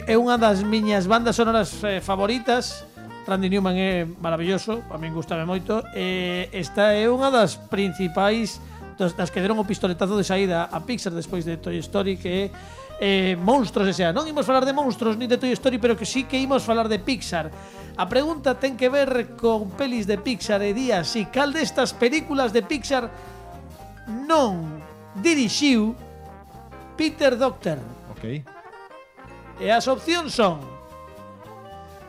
é unha das miñas bandas sonoras eh, favoritas. Randy Newman é maravilloso, a min gustame moito. E esta é unha das principais das, das que deron o pistoletazo de saída a Pixar despois de Toy Story, que é eh, monstruos, e sea, non imos falar de monstruos ni de Toy Story, pero que sí que imos falar de Pixar. A pregunta ten que ver con pelis de Pixar e di así: cal destas películas de Pixar non dirixiu Peter Docter? Ok. E as opcións son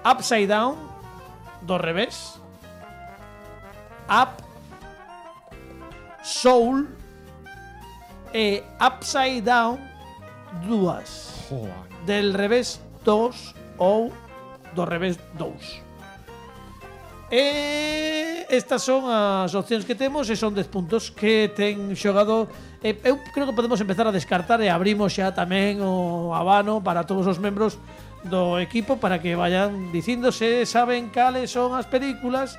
Upside Down, do revés, Up, Soul e Upside Down dúas. Joder. Del revés dous ou do revés dous. E estas son as opcións que temos e son dez puntos que ten xogado. E eu creo que podemos empezar a descartar e abrimos xa tamén o abano para todos os membros do equipo para que vayan dicindo se saben cales son as películas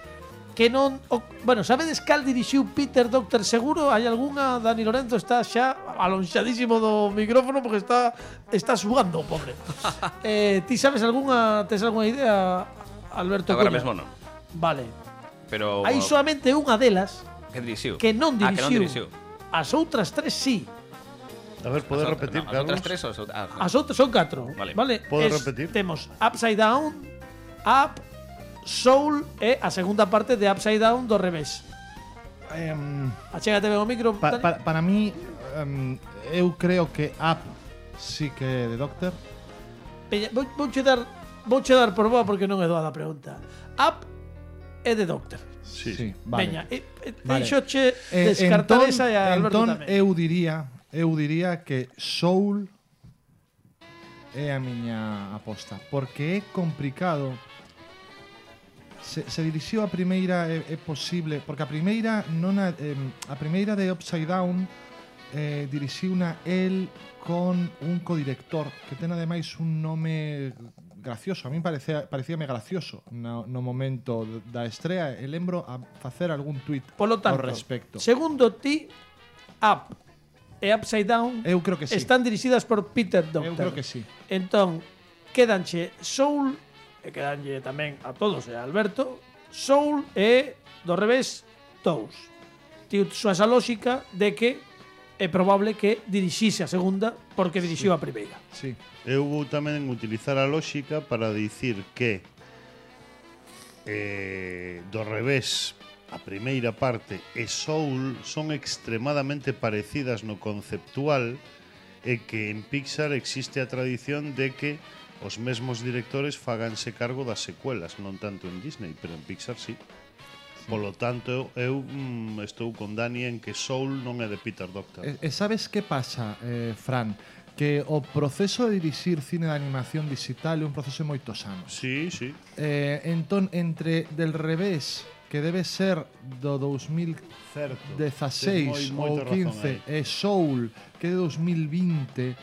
que non... O, bueno, sabedes cal dirixiu Peter Docter seguro? Hai algunha? Dani Lorenzo está xa alonxadísimo do micrófono porque está está sugando, pobre. eh, ti sabes algunha... Tes algunha idea, Alberto? Agora Cuña? mesmo non. Vale. Pero Hai solamente unha delas que dirixiu. que non Ah, que non dirixiu. dirixiu. As outras tres sí. A ver, podes As repetir, outras- no, as Carlos? outras tres ou as outras- ah, As outras son catro. Vale. Vale. Podes Es- repetir? Temos Upside Down, Up, Soul e a segunda parte de Upside Down do revés. Em, Achégate ben o micro, pa, Dani. pa, para mí, em, eu creo que Up sí que é de Doctor. Peña, vou, vouche dar, vouche dar por boa porque non é doada a pregunta. Up é de Doctor. Sí. Sí, vale. Veña, e, e, Vale. deixoche Eh, descartar entón- esa e a Alberto entón tamén. eu diría, eu diría que Soul é a miña aposta, porque é complicado. Se, se dirixiu a primeira é, é posible, porque a primeira non a, eh, a primeira de Upside Down eh, dirixiuna el con un codirector que ten ademais un nome gracioso. A min parecía, parecíame gracioso no, no momento da estrea e lembro a facer algún tuit Polo tanto, ao respecto. segundo ti, Up e Upside Down Eu creo que sí. están dirixidas por Peter Docter. Eu creo que sí. Entón, quédanche Soul, e quedanlle tamén a todos e a Alberto, Soul e, do revés, dous. Ti usas a lógica de que é probable que dirixise a segunda porque dirixiu a primeira. Sí. Eu vou tamén utilizar a lógica para dicir que eh, do revés a primeira parte e Soul son extremadamente parecidas no conceptual e que en Pixar existe a tradición de que os mesmos directores faganse cargo das secuelas, non tanto en Disney, pero en Pixar sí. Polo tanto, eu mm, estou con Dani en que Soul non é de Peter Docter. E, e sabes que pasa, eh, Fran? Que o proceso de dirixir cine de animación digital é un proceso de moitos anos. Sí, sí. Eh, entón, entre del revés, que debe ser do dous mil Certo. dezaseis Tes moi- ou moita razón quince, aí. e Soul, que é de dous mil vinte,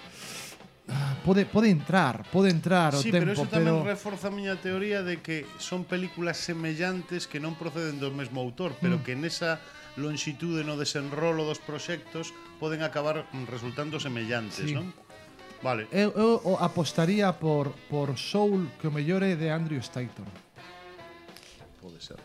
ah, pode, pode entrar, pode entrar o Sí, tempo, pero eso pero... tamén reforza a miña teoría de que son películas semellantes que non proceden do mesmo autor, pero Mm. que nesa longitude no desenrolo dos proxectos poden acabar mm, resultando semellantes, Sí. non? Vale. Eu, eu o apostaría por, por Soul, que o mellor é de Andrew Stanton. Pode ser.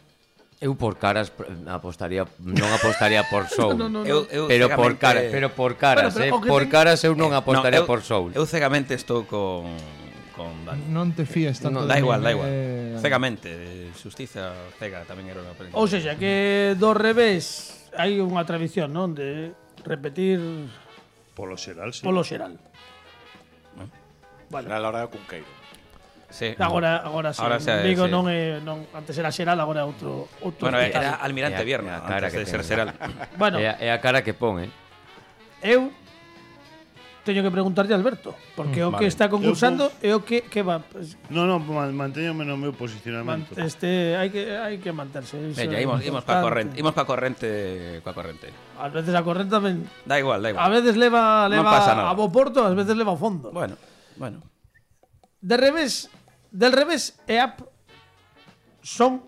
Eu por caras pr- apostaría, non apostaría por Soul. No, no, no. Eu, eu Pero por cegamente- caras, pero por caras, Bueno, pero eh, o que por ten- caras eu non apostaría No, eu- por Soul. Eu cegamente estou con con Dani. Non te fíes tanto No, de Da min, igual, da igual. eh, Cegamente, Xustiza cega tamén era unha película. Ou seja, que do revés hai unha tradición, non? De repetir Polo xeral, sí. polo xeral. Será a hora de Cunqueiro. Sí. Agora, agora sí. Ahora xa- Digo, sí. non é, non, antes era xeral, agora é outro, outro Bueno, hospital. era Almirante É a- Vierno, é a cara antes de que ser ten. Seral. Bueno, É, a- é a cara que pon, eh. eu teño que preguntarlle a Alberto, porque o que vale. está concursando é o que que va, pues, No, no, man- mantéñome no meu posicionamento. man- este hai que hai que manterse. Iso Veña, é imos, imos coa importante. corrente, imos coa corrente, coa corrente. A veces a corrente tamén Da igual, da igual. a veces leva Non leva pasa nada. a bo porto, a veces leva ao fondo. Bueno, bueno. De revés, del revés e up son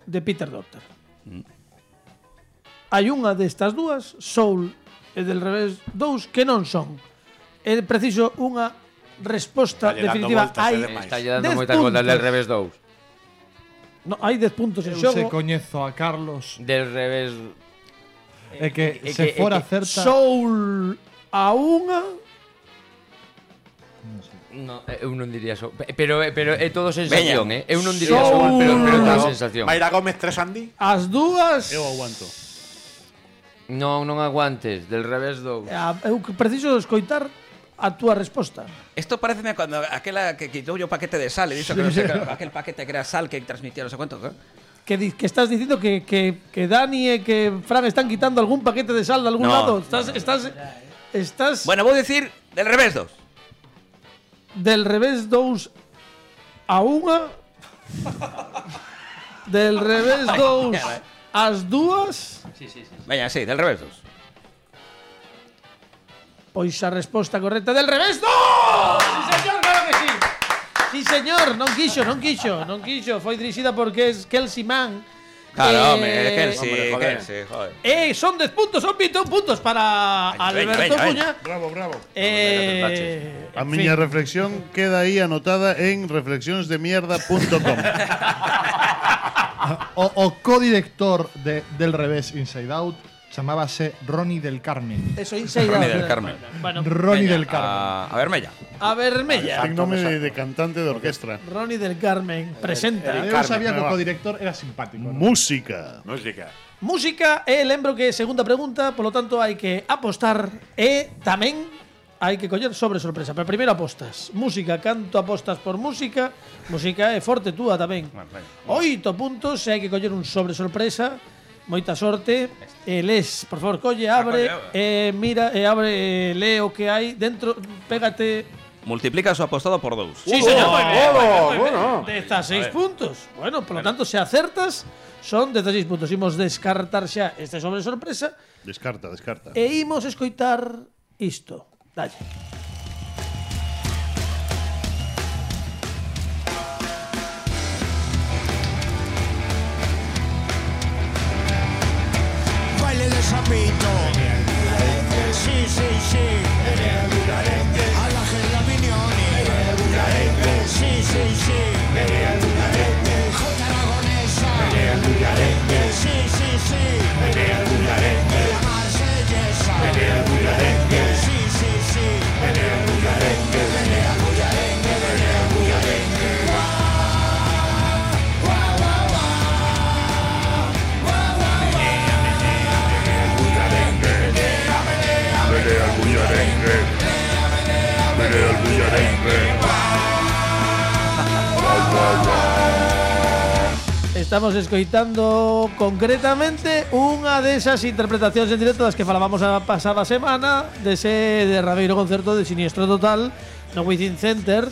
de Peter Docter. Mm. Hai unha destas dúas, Soul e del revés dous, que non son. É preciso unha resposta Está lle dando definitiva. voltas, Hai é demais. Está lle dando dez moitas voltas del puntos. revés dous. No, hai dez puntos en Eu se xogo. coñezo a Carlos. Del revés É que É se que- fora é que certa… Soul a unha. No, eu non diría so. Pero, pero é todo sensación, Veña. eh? Eu non diría Soul. Soul, pero, pero toda sensación. Mayra Gómez tres Andy. As dúas. Eu aguanto. Non, non aguantes, del revés do… A- Eu preciso escoitar a túa resposta. Esto pareceme cuando aquela que quitou yo paquete de sal, e dixo que non sei, que, aquel paquete que era sal que transmitía non sei cuánto, ¿eh? Que, di- que estás dicindo que, que, que Dani e que Fran están quitando algún paquete de sal de algún No. lado. Estás, estás, estás Bueno, vou dicir del revés dos. del revés dous a unha. Del revés dous as dúas. Veña, sí, del revés dos. Pois a resposta correcta del revés dos. Sí, señor, claro que sí. Sí, señor, non quixo, non quixo, non quixo. Foi dirixida por que es Kelsey Mann. Claro, Eh, hombre, que sí, hombre, joder. que sí, joder. Eh, son dez puntos, son veintiún puntos para Veña, Alberto veña, veña, Cuña. Bravo, bravo. Eh, A en miña fin. reflexión queda aí anotada en reflexións de mierda punto com. O, o codirector de Del Revés Inside Out chamábase Ronnie del Carmen. Eso, Inside Ronnie Out. del Carmen. Bueno, Ronnie Veña, del Carmen. A, a vermella. a Vermella. Ten nome de, de cantante de orquestra. Ronnie del Carmen presenta. Eu sabía que o codirector era simpático. ¿no? Música. Música. Música, e lembro que segunda pregunta, polo tanto hai que apostar e tamén hai que coller sobre sorpresa. Pero primeiro apostas. Música, canto apostas por música? Música é forte túa tamén. Oito puntos e hai que coller un sobre sorpresa. Moita sorte. E les, por favor, colle, abre, e mira, e abre, e lee o que hai dentro, pégate. Multiplica su apostado por dous. Sí, señor, moi ben, moi ben, moi ben. bueno. dezasseis puntos. Bueno, por lo tanto, se acertas, son dezasseis puntos. Imos descartar xa este sobre sorpresa Descarta, descarta. e imos escoitar isto. Dalle. Baile de sapito. Sí, sí, sí. A la Gerlaminioni. Sí, sí, sí. Jota Aragonesa. Sí, sí, sí. La Marsellesa. Sí, sí, sí. Menea el bullarengue. Menea el bullarengue. Guau, guau, guau, guau. Guau, guau, Estamos escoitando concretamente unha desas interpretacións en directo das que falábamos a pasada semana dese derradeiro concerto de Siniestro Total no Within Center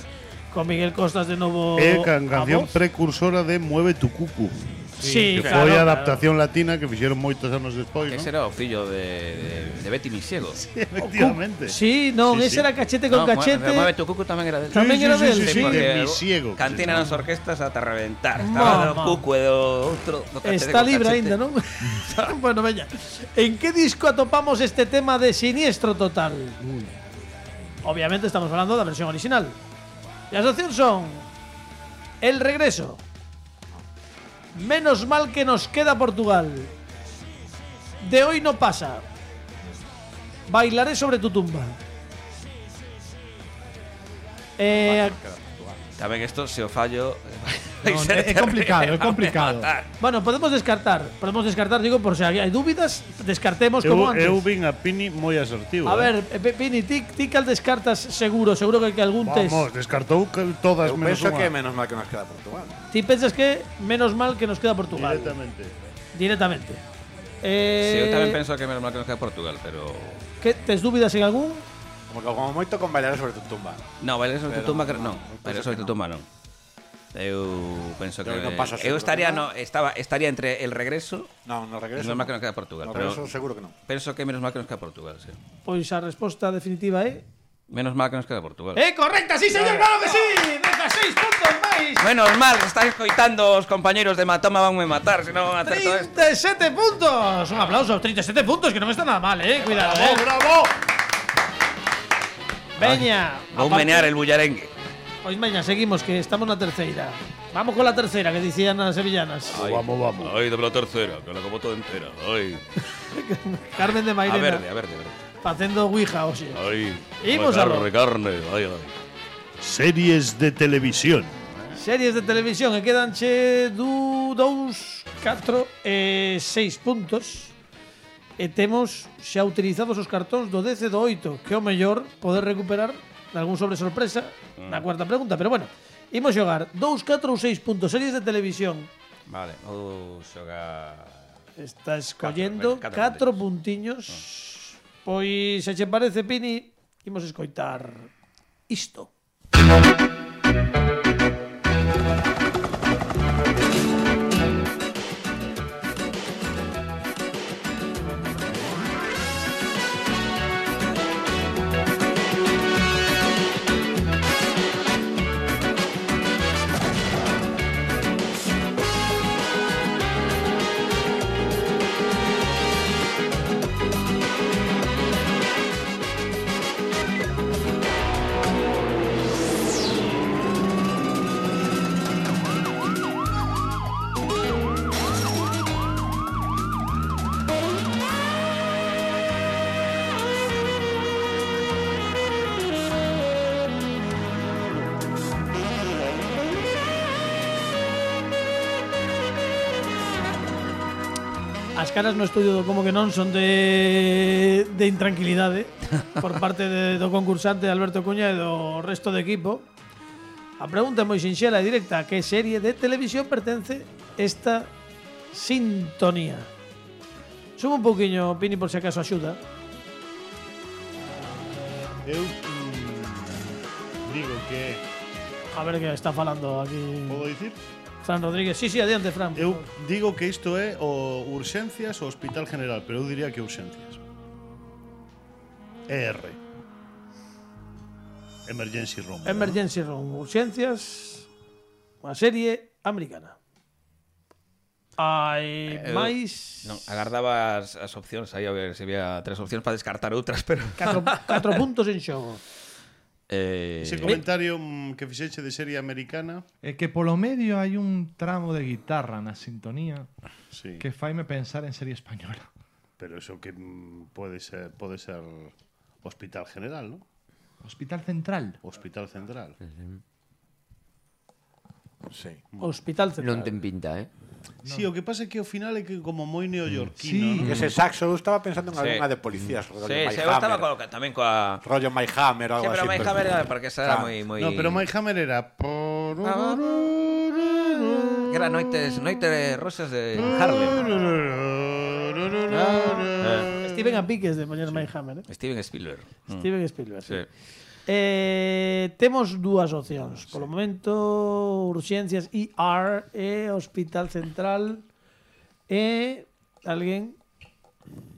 con Miguel Costas de novo É can canción a voz. precursora de Mueve tu cucu. Sí, Que claro, foi a claro. adaptación latina que fixeron moitos anos despois, Ese ¿no? era o fillo de, de, de Betty Misiego. Efectivamente. Sí, non, Sí, ese sí. era cachete con No, cachete. Mueve tu cucu tamén era de Tamén era del, sí, sí. sí, porque de Misiego. Cantina nas orquestas ata reventar. Estaba do Mamá. cucu e do outro. Do cachete Está con libre cachete. aínda, non? Bueno, veña. En que disco atopamos este tema de Siniestro Total? Obviamente estamos falando da versión original. E as opcións son El Regreso, Menos mal que nos queda Portugal, De hoy no pasa, Bailaré sobre tu tumba. Eh, Tamén isto, se o fallo... Non, é, é complicado, é complicado. bueno, podemos descartar. Podemos descartar, digo, por se hai dúbidas, descartemos como Eu, antes. eu vin a Pini moi asertivo. A eh. ver, eh, Pe- Pini, ti, ti cal descartas seguro, seguro que, que algún tes. Vamos, descartou que todas Eu menos penso unha. que menos mal que nos queda Portugal. Ti pensas que menos mal que nos queda Portugal. Directamente. Directamente. Sí, Eh, eu tamén penso que menos mal que nos queda Portugal, pero... que tes dúbidas en algún? Como, como moito con bailar sobre tu tumba. No, bailar sobre tu Pero tumba, que- non, non. eu Bailar penso sobre que tu tumba, non. Eu penso que... Pero non pasa eu seguro, estaría, non? no, estaba, estaría entre el regreso No, no regreso. menos mal no. que nos queda Portugal, No pero- regreso seguro que non. penso que menos mal que nos queda Portugal, sí. Pois a resposta definitiva é Menos mal que nos queda Portugal. ¡Eh, correcta! ¡Sí, señor! ¡Claro que sí! ¡dezasseis puntos máis! Menos mal, estáis coitando os compañeros de Matoma van me matar, se non acerto esto. trinta e sete puntos! Un aplauso, trinta e sete puntos, que non está nada mal, eh. Cuidado, eh. ¡Bravo! Veña. Vou aparte- menear el bullarengue. Pois veña, seguimos, que estamos na terceira. Vamos con la tercera, que dicían las sevillanas. Ay, Vamos, vamos. Ay, dame la tercera, que la como toda entera. Ay. Carmen de A Mairena. verde, a verde, a verde. Facendo ouija, oxe. Ay. Imos Ay, aló. carne, carne. Ay, ay. Series de televisión. Series de televisión, e quedanche du, dous, catro e seis puntos. E temos xa utilizados os cartóns do dez e do oito, que é o mellor poder recuperar algún sobre sorpresa na cuarta pregunta. Pero bueno, imos xogar dous, catro ou seis puntos. Series de televisión. Vale, vou xogar... Está escollendo Catro, catro, catro puntiños. Pois, se che parece, Pini, imos escoitar isto. As caras no estudio do Como que non son de, de intranquilidade por parte de, do concursante Alberto Cuña e do resto do equipo. A pregunta é moi sinxela e directa. A que serie de televisión pertence esta sintonía? Sube un pouquiño, Pini, por se acaso axuda. Eu mm, digo que... A ver que está falando aquí Podo dicir? Fran Rodríguez. Sí, sí, adiante, Fran. Eu digo que isto é o Urxencias ou Hospital General, pero eu diría que Urxencias. E R. Emergency Room. Emergency Room, urxencias, unha serie americana. Hai Eh, máis Non, agardaba as, as opcións aí a ver se había tres opcións para descartar outras, pero... catro, catro puntos en xogo. Eh, Ese comentario mm, que fixeche de serie americana, É que polo medio hai un tramo de guitarra na sintonía sí, que faime pensar en serie española. pero eso que mm, pode ser pode ser Hospital General, ¿no? Hospital Central. Hospital Central. Sí. Hospital Central. Non ten pinta, eh? Sí, o que pasa é que ao final é que como moi neoyorquino, Sí. ¿no? Y ese saxo, eu estaba pensando en Sí. alguna de policías, rollo Sí, My sí, eu estaba Hammer. co, tamén coa... Rollo My Hammer o Sí, algo pero así. My Hammer era porque esa era Claro. moi... moi... No, pero My Hammer era Que era noites, noites rosas de Harlem. Eh, Steven a piques de poñer My Hammer, eh? Steven Spielberg. Mm. Steven Spielberg. Sí. Eh, temos dúas opcións. Polo momento, urxencias E R e Hospital Central e alguén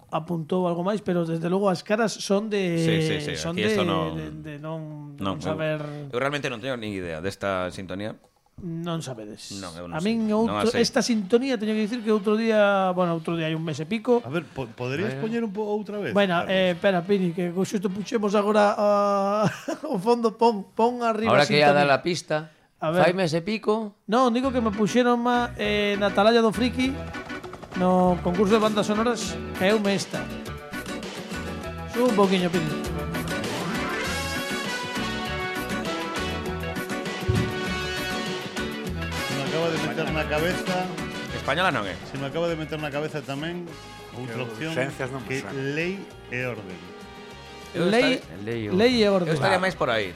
apuntou algo máis, pero desde logo as caras son de Sí, sí, sí, son aquí de, esto non- de, de non, Non, non saber eu, eu realmente non teño nin idea desta sintonía. non sabedes. Non, eu non a sei. min Non outro, a sei. esta sintonía teño que dicir que outro día, bueno, outro día hai un mes e pico. A ver, po poderías poñer un po outra vez? Bueno, Carlos? eh, espera, Pini, que xusto puxemos agora uh, o fondo, pon, pon arriba Ahora que ia sintonía. dar la pista, A ver. faime ese pico. Non, digo que me puxeron má eh, na Atalaya do Friki no concurso de bandas sonoras e eu me esta. Sube un poquinho, Pini. Se me acaba de meter na cabeza, Española non é. se me acaba de meter na cabeza tamén outra Que opción urxencias non me que suena. lei e orden. Eu Lei, estaré- Lei e lei e Eu orden. estaría máis por aí.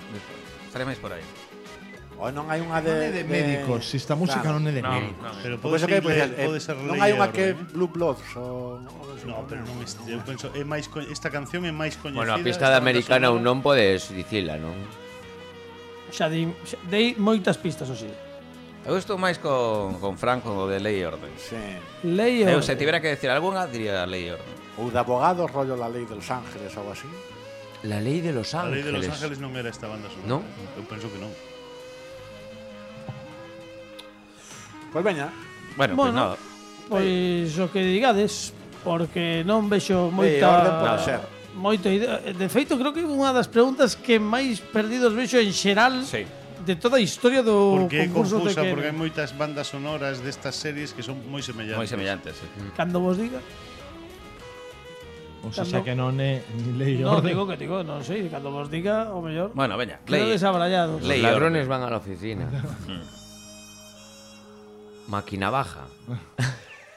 Estaría máis por aí. O non hai unha Non de... é de médicos, si esta música Claro. non é de Non, médicos. non. Pero Por pode eso ser, que pues, lei- eh, pode ser non lei hai e unha orden, que eh? Blue Bloods o... No, pero non est- eu penso é máis co- esta canción é máis coñecida. Bueno, a pista esta de banda americana ou sonora. non podes dicila, non? Xa di, xa, dei moitas pistas, o sí. Eu estou máis con, con Frank con o de Lei e Orden. Sí. Lei e Eu se orden. tivera que decir algunha, diría Lei e Orden. Ou de abogados, rollo La Lei de Los Ángeles ou algo así. La lei de Los A lei de Los Ángeles. Ángeles non era esta banda sonora. Non? Eu penso que non. Pois veña. Bueno, Bueno, pues nada. Pois o que digades, porque non vexo Lei e moita orden pode ser. moita idea. De feito, creo que unha das preguntas que máis perdidos vexo en xeral Sí. de toda a historia do Porque é concurso confusa, de porque hai Kene. moitas bandas sonoras destas series que son moi semellantes. Moi semellantes, sí. Cando vos diga. O sea, Cando- que non é ni lei e No, orden. digo que digo, non sei, cando vos diga, o mellor. Bueno, veña, Quedo lei. desabrallados. Los Ley ladrones orden. van a la oficina. Máquina baja.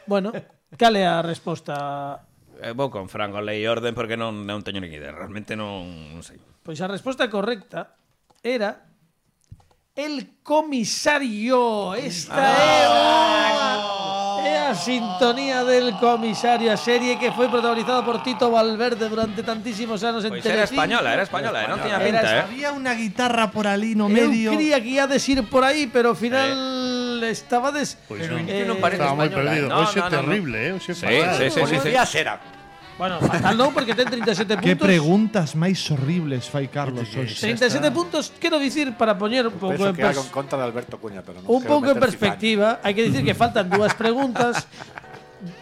Bueno, cal é a resposta? Eh, vou con Franco, lei e orden, porque non, non teño ni idea. Realmente non, non sei. Pois a resposta correcta era el comisario. Esta é unha é a sintonía del comisario, a serie que foi protagonizada por Tito Valverde durante tantísimos anos en Pois era Telecinco. española, era española, eh, non tiña Era pinta, eh. Había unha guitarra por ali no Eu medio. creía que iades ir por aí, pero ao final estabades Pois Pero non. non parece Estaba moi española, perdido. eh. No, Hoxe no, no, terrible, eh? Hoxe Sí, fatal. sí, sí, sí, sí. Policía será. Bueno, fatal non, porque ten trinta e sete Que puntos. preguntas máis horribles fai Carlos Oye, hoxe. trinta e sete puntos, quero dicir, para poñer un pouco Penso en que hago pers- en contra de Alberto Cuña, pero non un quero pouco en meter perspectiva, hai que dicir que faltan dúas preguntas,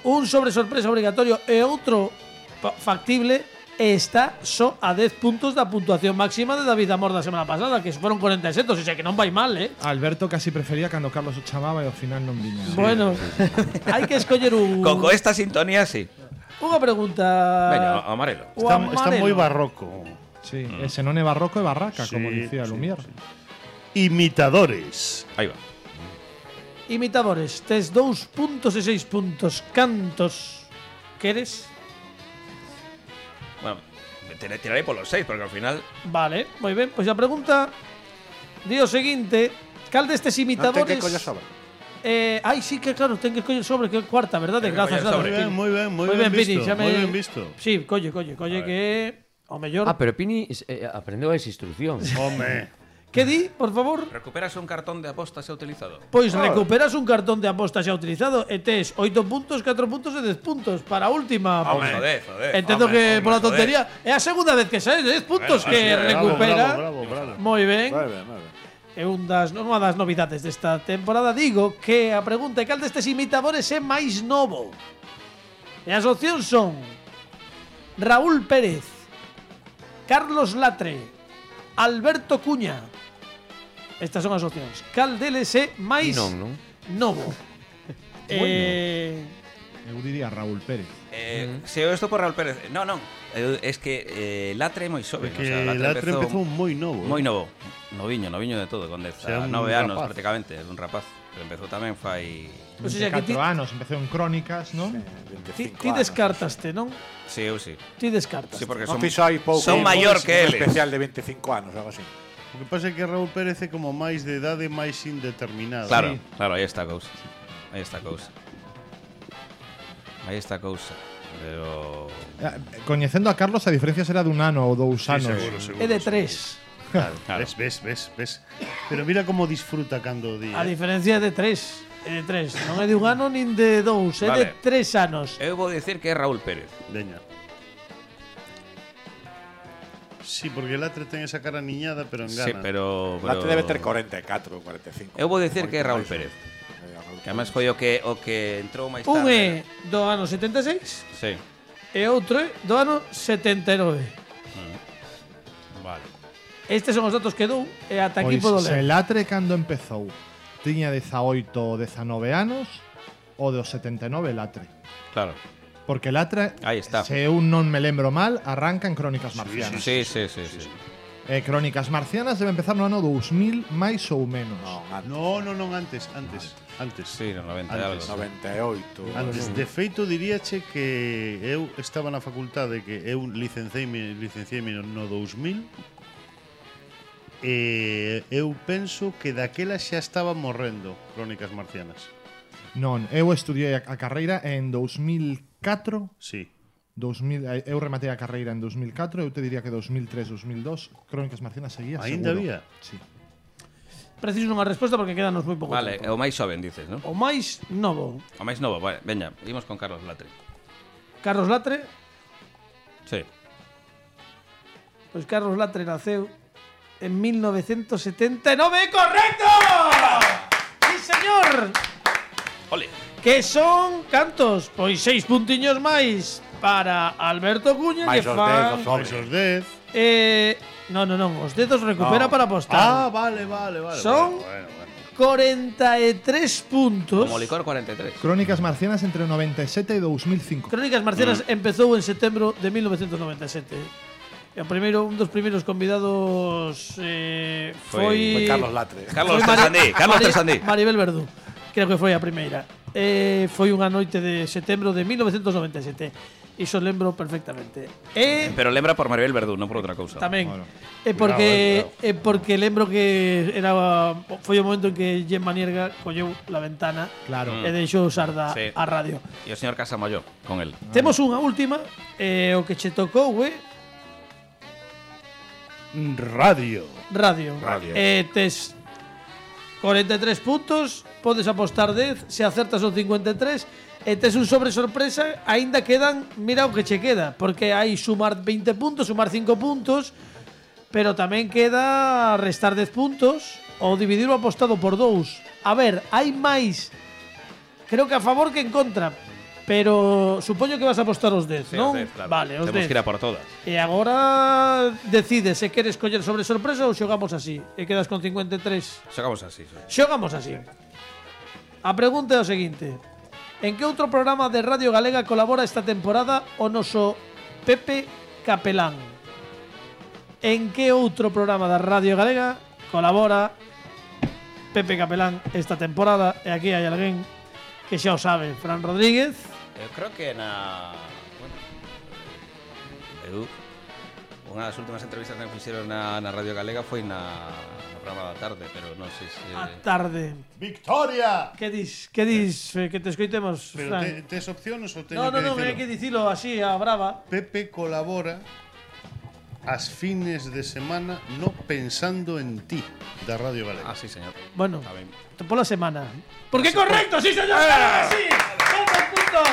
un sobre sorpresa obrigatorio e outro pa- factible, e está só a dez puntos da puntuación máxima de David Amor da semana pasada, que foron cuarenta e sete, o sea que non vai mal, eh? Alberto casi prefería cando Carlos o chamaba e ao final non viña. Bueno, hai que escoller un Con, con esta sintonía, sí. unha pregunta. Veña, o amarelo. O Está, amarelo. está moi barroco. Sí, ese non é barroco é barraca, como Sí, dicía sí, Lumière. sí. Imitadores. Aí va. Imitadores, tes dous puntos e seis puntos. Cantos queres? Bueno, tirarei, tirarei polos seis, porque ao final… Vale, moi ben. Pois a pregunta di o seguinte: cal destes Non ten imitadores… que coller sobre. Eh, ai, sí que claro, ten que coller sobre que é cuarta, verdade? Ten que Grazas, coller grazas. sobre. Moi ben, moi ben, moi Moi ben, ben, Pini, visto. xa me- Moi ben visto. Sí, colle, colle, colle que ao mellor. Ah, pero Pini eh, aprendeu esa instrucción. Home. Que di, por favor? Recuperas un cartón de apostas xa utilizado. Pois recuperas un cartón de aposta xa utilizado e tes oito puntos, catro puntos e dez puntos para a última. Vamos, joder, joder. Entendo Home, que home, pola joder. tontería é a segunda vez que saes dez puntos Bueno, que así é, recupera. Bravo, bravo, bravo. Moi ben. Moi ben, moi ben. É un das, unha das novidades desta temporada. Digo que a pregunta é cal destes imitadores é máis novo. E as opcións son Raúl Pérez, Carlos Latre, Alberto Cuña. Estas son as opcións. Cal deles é máis Non, non. novo? Eh, Eu diría Raúl Pérez. Eh, Se eu estou por Raúl Pérez… Non, non. Eu, es que eh, Latre é moi xoven. Que o sea, Latre empezou moi novo. moi novo. Noviño, noviño de todo, con O sea, un nove anos rapaz. prácticamente, é un rapaz. Pero empezou tamén fai… o sea, que ti, catro anos, empecé en Crónicas, non? ti, veinticinco ti anos. descartaste, non? Sí, eu sí. Ti descartaste. Sí, porque Non son, fixo aí pouco. son maior que un eles. especial de veinticinco anos, algo así. O que pasa é que Raúl Pérez é como máis de idade máis indeterminada. Claro, claro, aí está a cousa. Aí está a cousa. Aí está a cousa. Pero… Eh, Coñecendo a Carlos, a diferencia será dun ano ou dous Sí, anos. seguro, seguro. É de seguro. tres. Claro, Claro. ves, ves, ves, ves. Pero mira como disfruta cando o día. A diferencia é de tres. É de tres. Non é de un ano nin de dous. É de Vale. tres anos. Eu vou dicir que é Raúl Pérez. Leña. Sí, porque el Latre ten esa cara niñada, pero engana. Sí, pero… pero Late debe ter cuarenta e catro, cuarenta e cinco. Eu vou dicir que é Raúl Moito máis, Pérez. eh, Raúl Que además foi o que, o que entrou máis Un tarde. é do ano setenta e seis Sí. e outro é do ano setenta e nove. Vale. Estes son os datos que dou e ata aquí Pois podo se ler. Latre cando empezou tiña dezaoito ou dezanove anos, o do setenta e nove Latre. Claro. Porque Latre, Aí está. se eu non me lembro mal, arranca en Crónicas Marcianas. Sí, sí, sí, sí. E Crónicas Marcianas debe empezar no ano dous mil máis ou menos. Non, antes. No, no, non, antes, antes, antes. Sí, no noventa e Antes. algo. noventa e oito. Antes, de feito, diríache que eu estaba na facultade, que eu licenciei-me licenciei no dous mil, e eu penso que daquela xa estaba morrendo Crónicas Marcianas. Non, eu estudiei a, a carreira en dous mil catro. Sí. dous mil, eh, eu rematei a carreira en dous mil catro, eu te diría que dous mil tres, dous mil dos, Crónicas Marcianas seguía Ainda seguro. había? Sí. Preciso unha resposta porque quedanos moi pouco Vale, é tempo. o máis xoven, dices, non? O máis novo. O máis novo, vale, veña, imos con Carlos Latre. Carlos Latre. Sí. Pois Carlos Latre naceu en mil novecientos setenta e nove. ¡Correcto! ¡Sí, señor! Ole. Que son cantos? Pois seis puntiños máis para Alberto Cuña, Máis que os fan dez, os Pois os dez. eh, No, no, non, os dedos recupera No. para apostar. Ah, vale, vale, vale. Son- Bueno, bueno, bueno. cuarenta e tres puntos. Como licor cuarenta e tres. Crónicas marcianas entre o noventa e sete e dos mil cinco. Crónicas Marcianas empezou en setembro de mil novecientos noventa e sete. E o primeiro, un dos primeiros convidados eh, foi, Foi Carlos Latre. Carlos foi Mari- Tersandí, Carlos Mari- Tersandí. Maribel Verdú. Creo que foi a primeira. Eh, foi unha noite de setembro de mil novecientos noventa e sete. Iso lembro perfectamente. E Pero lembra por Maribel Verdú, non por outra cousa. tamén Bueno. é porque é porque lembro que era foi o momento en que Gemma Nierga colleu la ventana Claro. e deixou usar da Sí. a radio. E o señor Casamolló con el. Temos unha última, eh, o que che tocou, eh, Radio. radio. Radio. Eh, tes cuarenta e tres puntos, podes apostar dez, se acertas son cincuenta e tres, e tes un sobre sorpresa, aínda quedan, mira o que che queda, porque hai sumar veinte puntos, sumar cinco puntos, pero tamén queda restar dez puntos ou dividir o apostado por dous. A ver, hai máis, creo que a favor que en contra, pero supoño que vas a apostar os dez, Sí, non? os dez, claro. Vale, os Temos dez. que ir a por todas. E agora decides se queres coller sobre sorpresa ou xogamos así. E quedas con cincuenta e tres. Xogamos así. sí. Xogamos así. A pregunta é o seguinte. En que outro programa de Radio Galega colabora esta temporada o noso Pepe Capelán? En que outro programa da Radio Galega colabora Pepe Capelán esta temporada? E aquí hai alguén que xa o sabe. Fran Rodríguez. Eu creo que na... Bueno, eu... Unha das últimas entrevistas que me fixeron na, na Radio Galega foi na, no programa da tarde, pero non sei se... A tarde. Victoria. Que dis? Que dis? eh, Que te escoitemos, Pero Fran? te, tes opciones ou teño No, no, que no, dicilo? hai que dicilo así, a brava. Pepe colabora as fines de semana no Pensando en ti da Radio Galega. Ah, sí, señor. Bueno, Está ben. pola semana. Porque correcto, sí, señor. Claro, sí. ¿Cuántos puntos?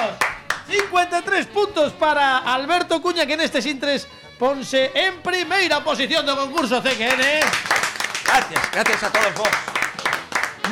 cincuenta e tres puntos para Alberto Cuña, que neste Sintres ponse en primeira posición do concurso C Q N. Gracias, gracias a todos vos.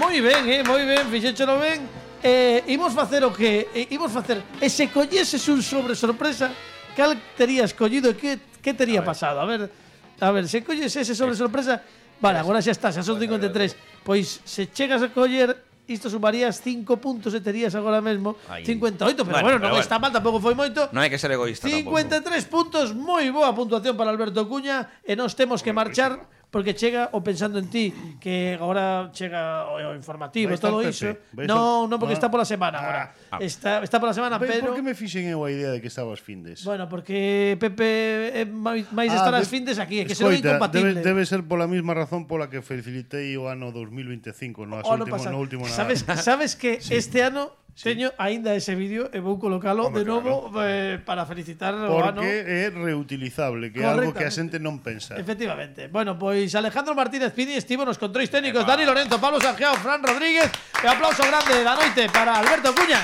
Moi ben, eh, moi ben, fixéchelo ben. Eh, imos facer o que eh, imos facer. E se colleses un sobre sorpresa, cal terías collido e que que tería pasado? A ver, a ver, se colles ese sobre sorpresa, vale, agora xa está, xa son cincuenta e tres. Pois se chegas a coller isto sumarías cinco puntos e terías agora mesmo Aí. cincuenta e oito, pero Bueno, bueno, pero non bueno. está mal, tampouco foi moito. Non hai que ser egoísta cincuenta e tres puntos, moi boa puntuación para Alberto Cuña e nós temos que marchar porque chega o Pensando en ti, que agora chega o, o informativo, Vai estar todo Pepe, iso. vai Non, estar- non porque Ah. está pola semana agora. Ah. Está está pola semana, Ben, pero por que me fixen eu a idea de que estabas findes? bueno, porque Pepe é máis máis de estar Ah, as de- findes aquí, é que se non é Escoita, incompatible. Debe, debe ser pola mesma razón pola que felicitei o ano dos mil veinticinco, no, O ano último, pasado. no último nada. Sabes, sabes que este ano teño aínda ese vídeo e vou colocalo Home, de novo eh, para felicitar o ano. Porque é reutilizable, que é algo que a xente non pensa. Efectivamente. Bueno, pois Alejandro Martínez Pini estivo nos controis técnicos, Dani Lorenzo, Pablo Sanjeao, Fran Rodríguez e aplauso grande da noite para Alberto Cuña.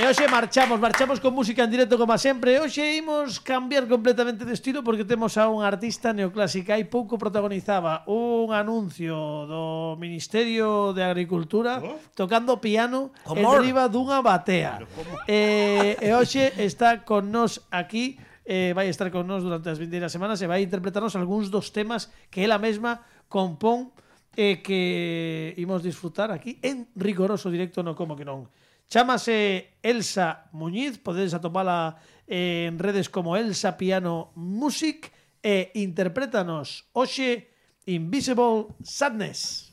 E hoxe marchamos, marchamos con música en directo como sempre. Hoxe imos cambiar completamente de estilo porque temos a un artista neoclásica e pouco protagonizaba un anuncio do Ministerio de Agricultura tocando piano en Como? riba dunha batea. E, e hoxe está con nós aquí, eh, vai estar con nós durante as vindeiras semanas e vai interpretarnos algúns dos temas que ela mesma compón e que imos disfrutar aquí en rigoroso directo no Como que non. Chámase Elsa Muñiz, podedes atopala en redes como Elsa Piano Music e interprétanos hoxe Invisible Sadness.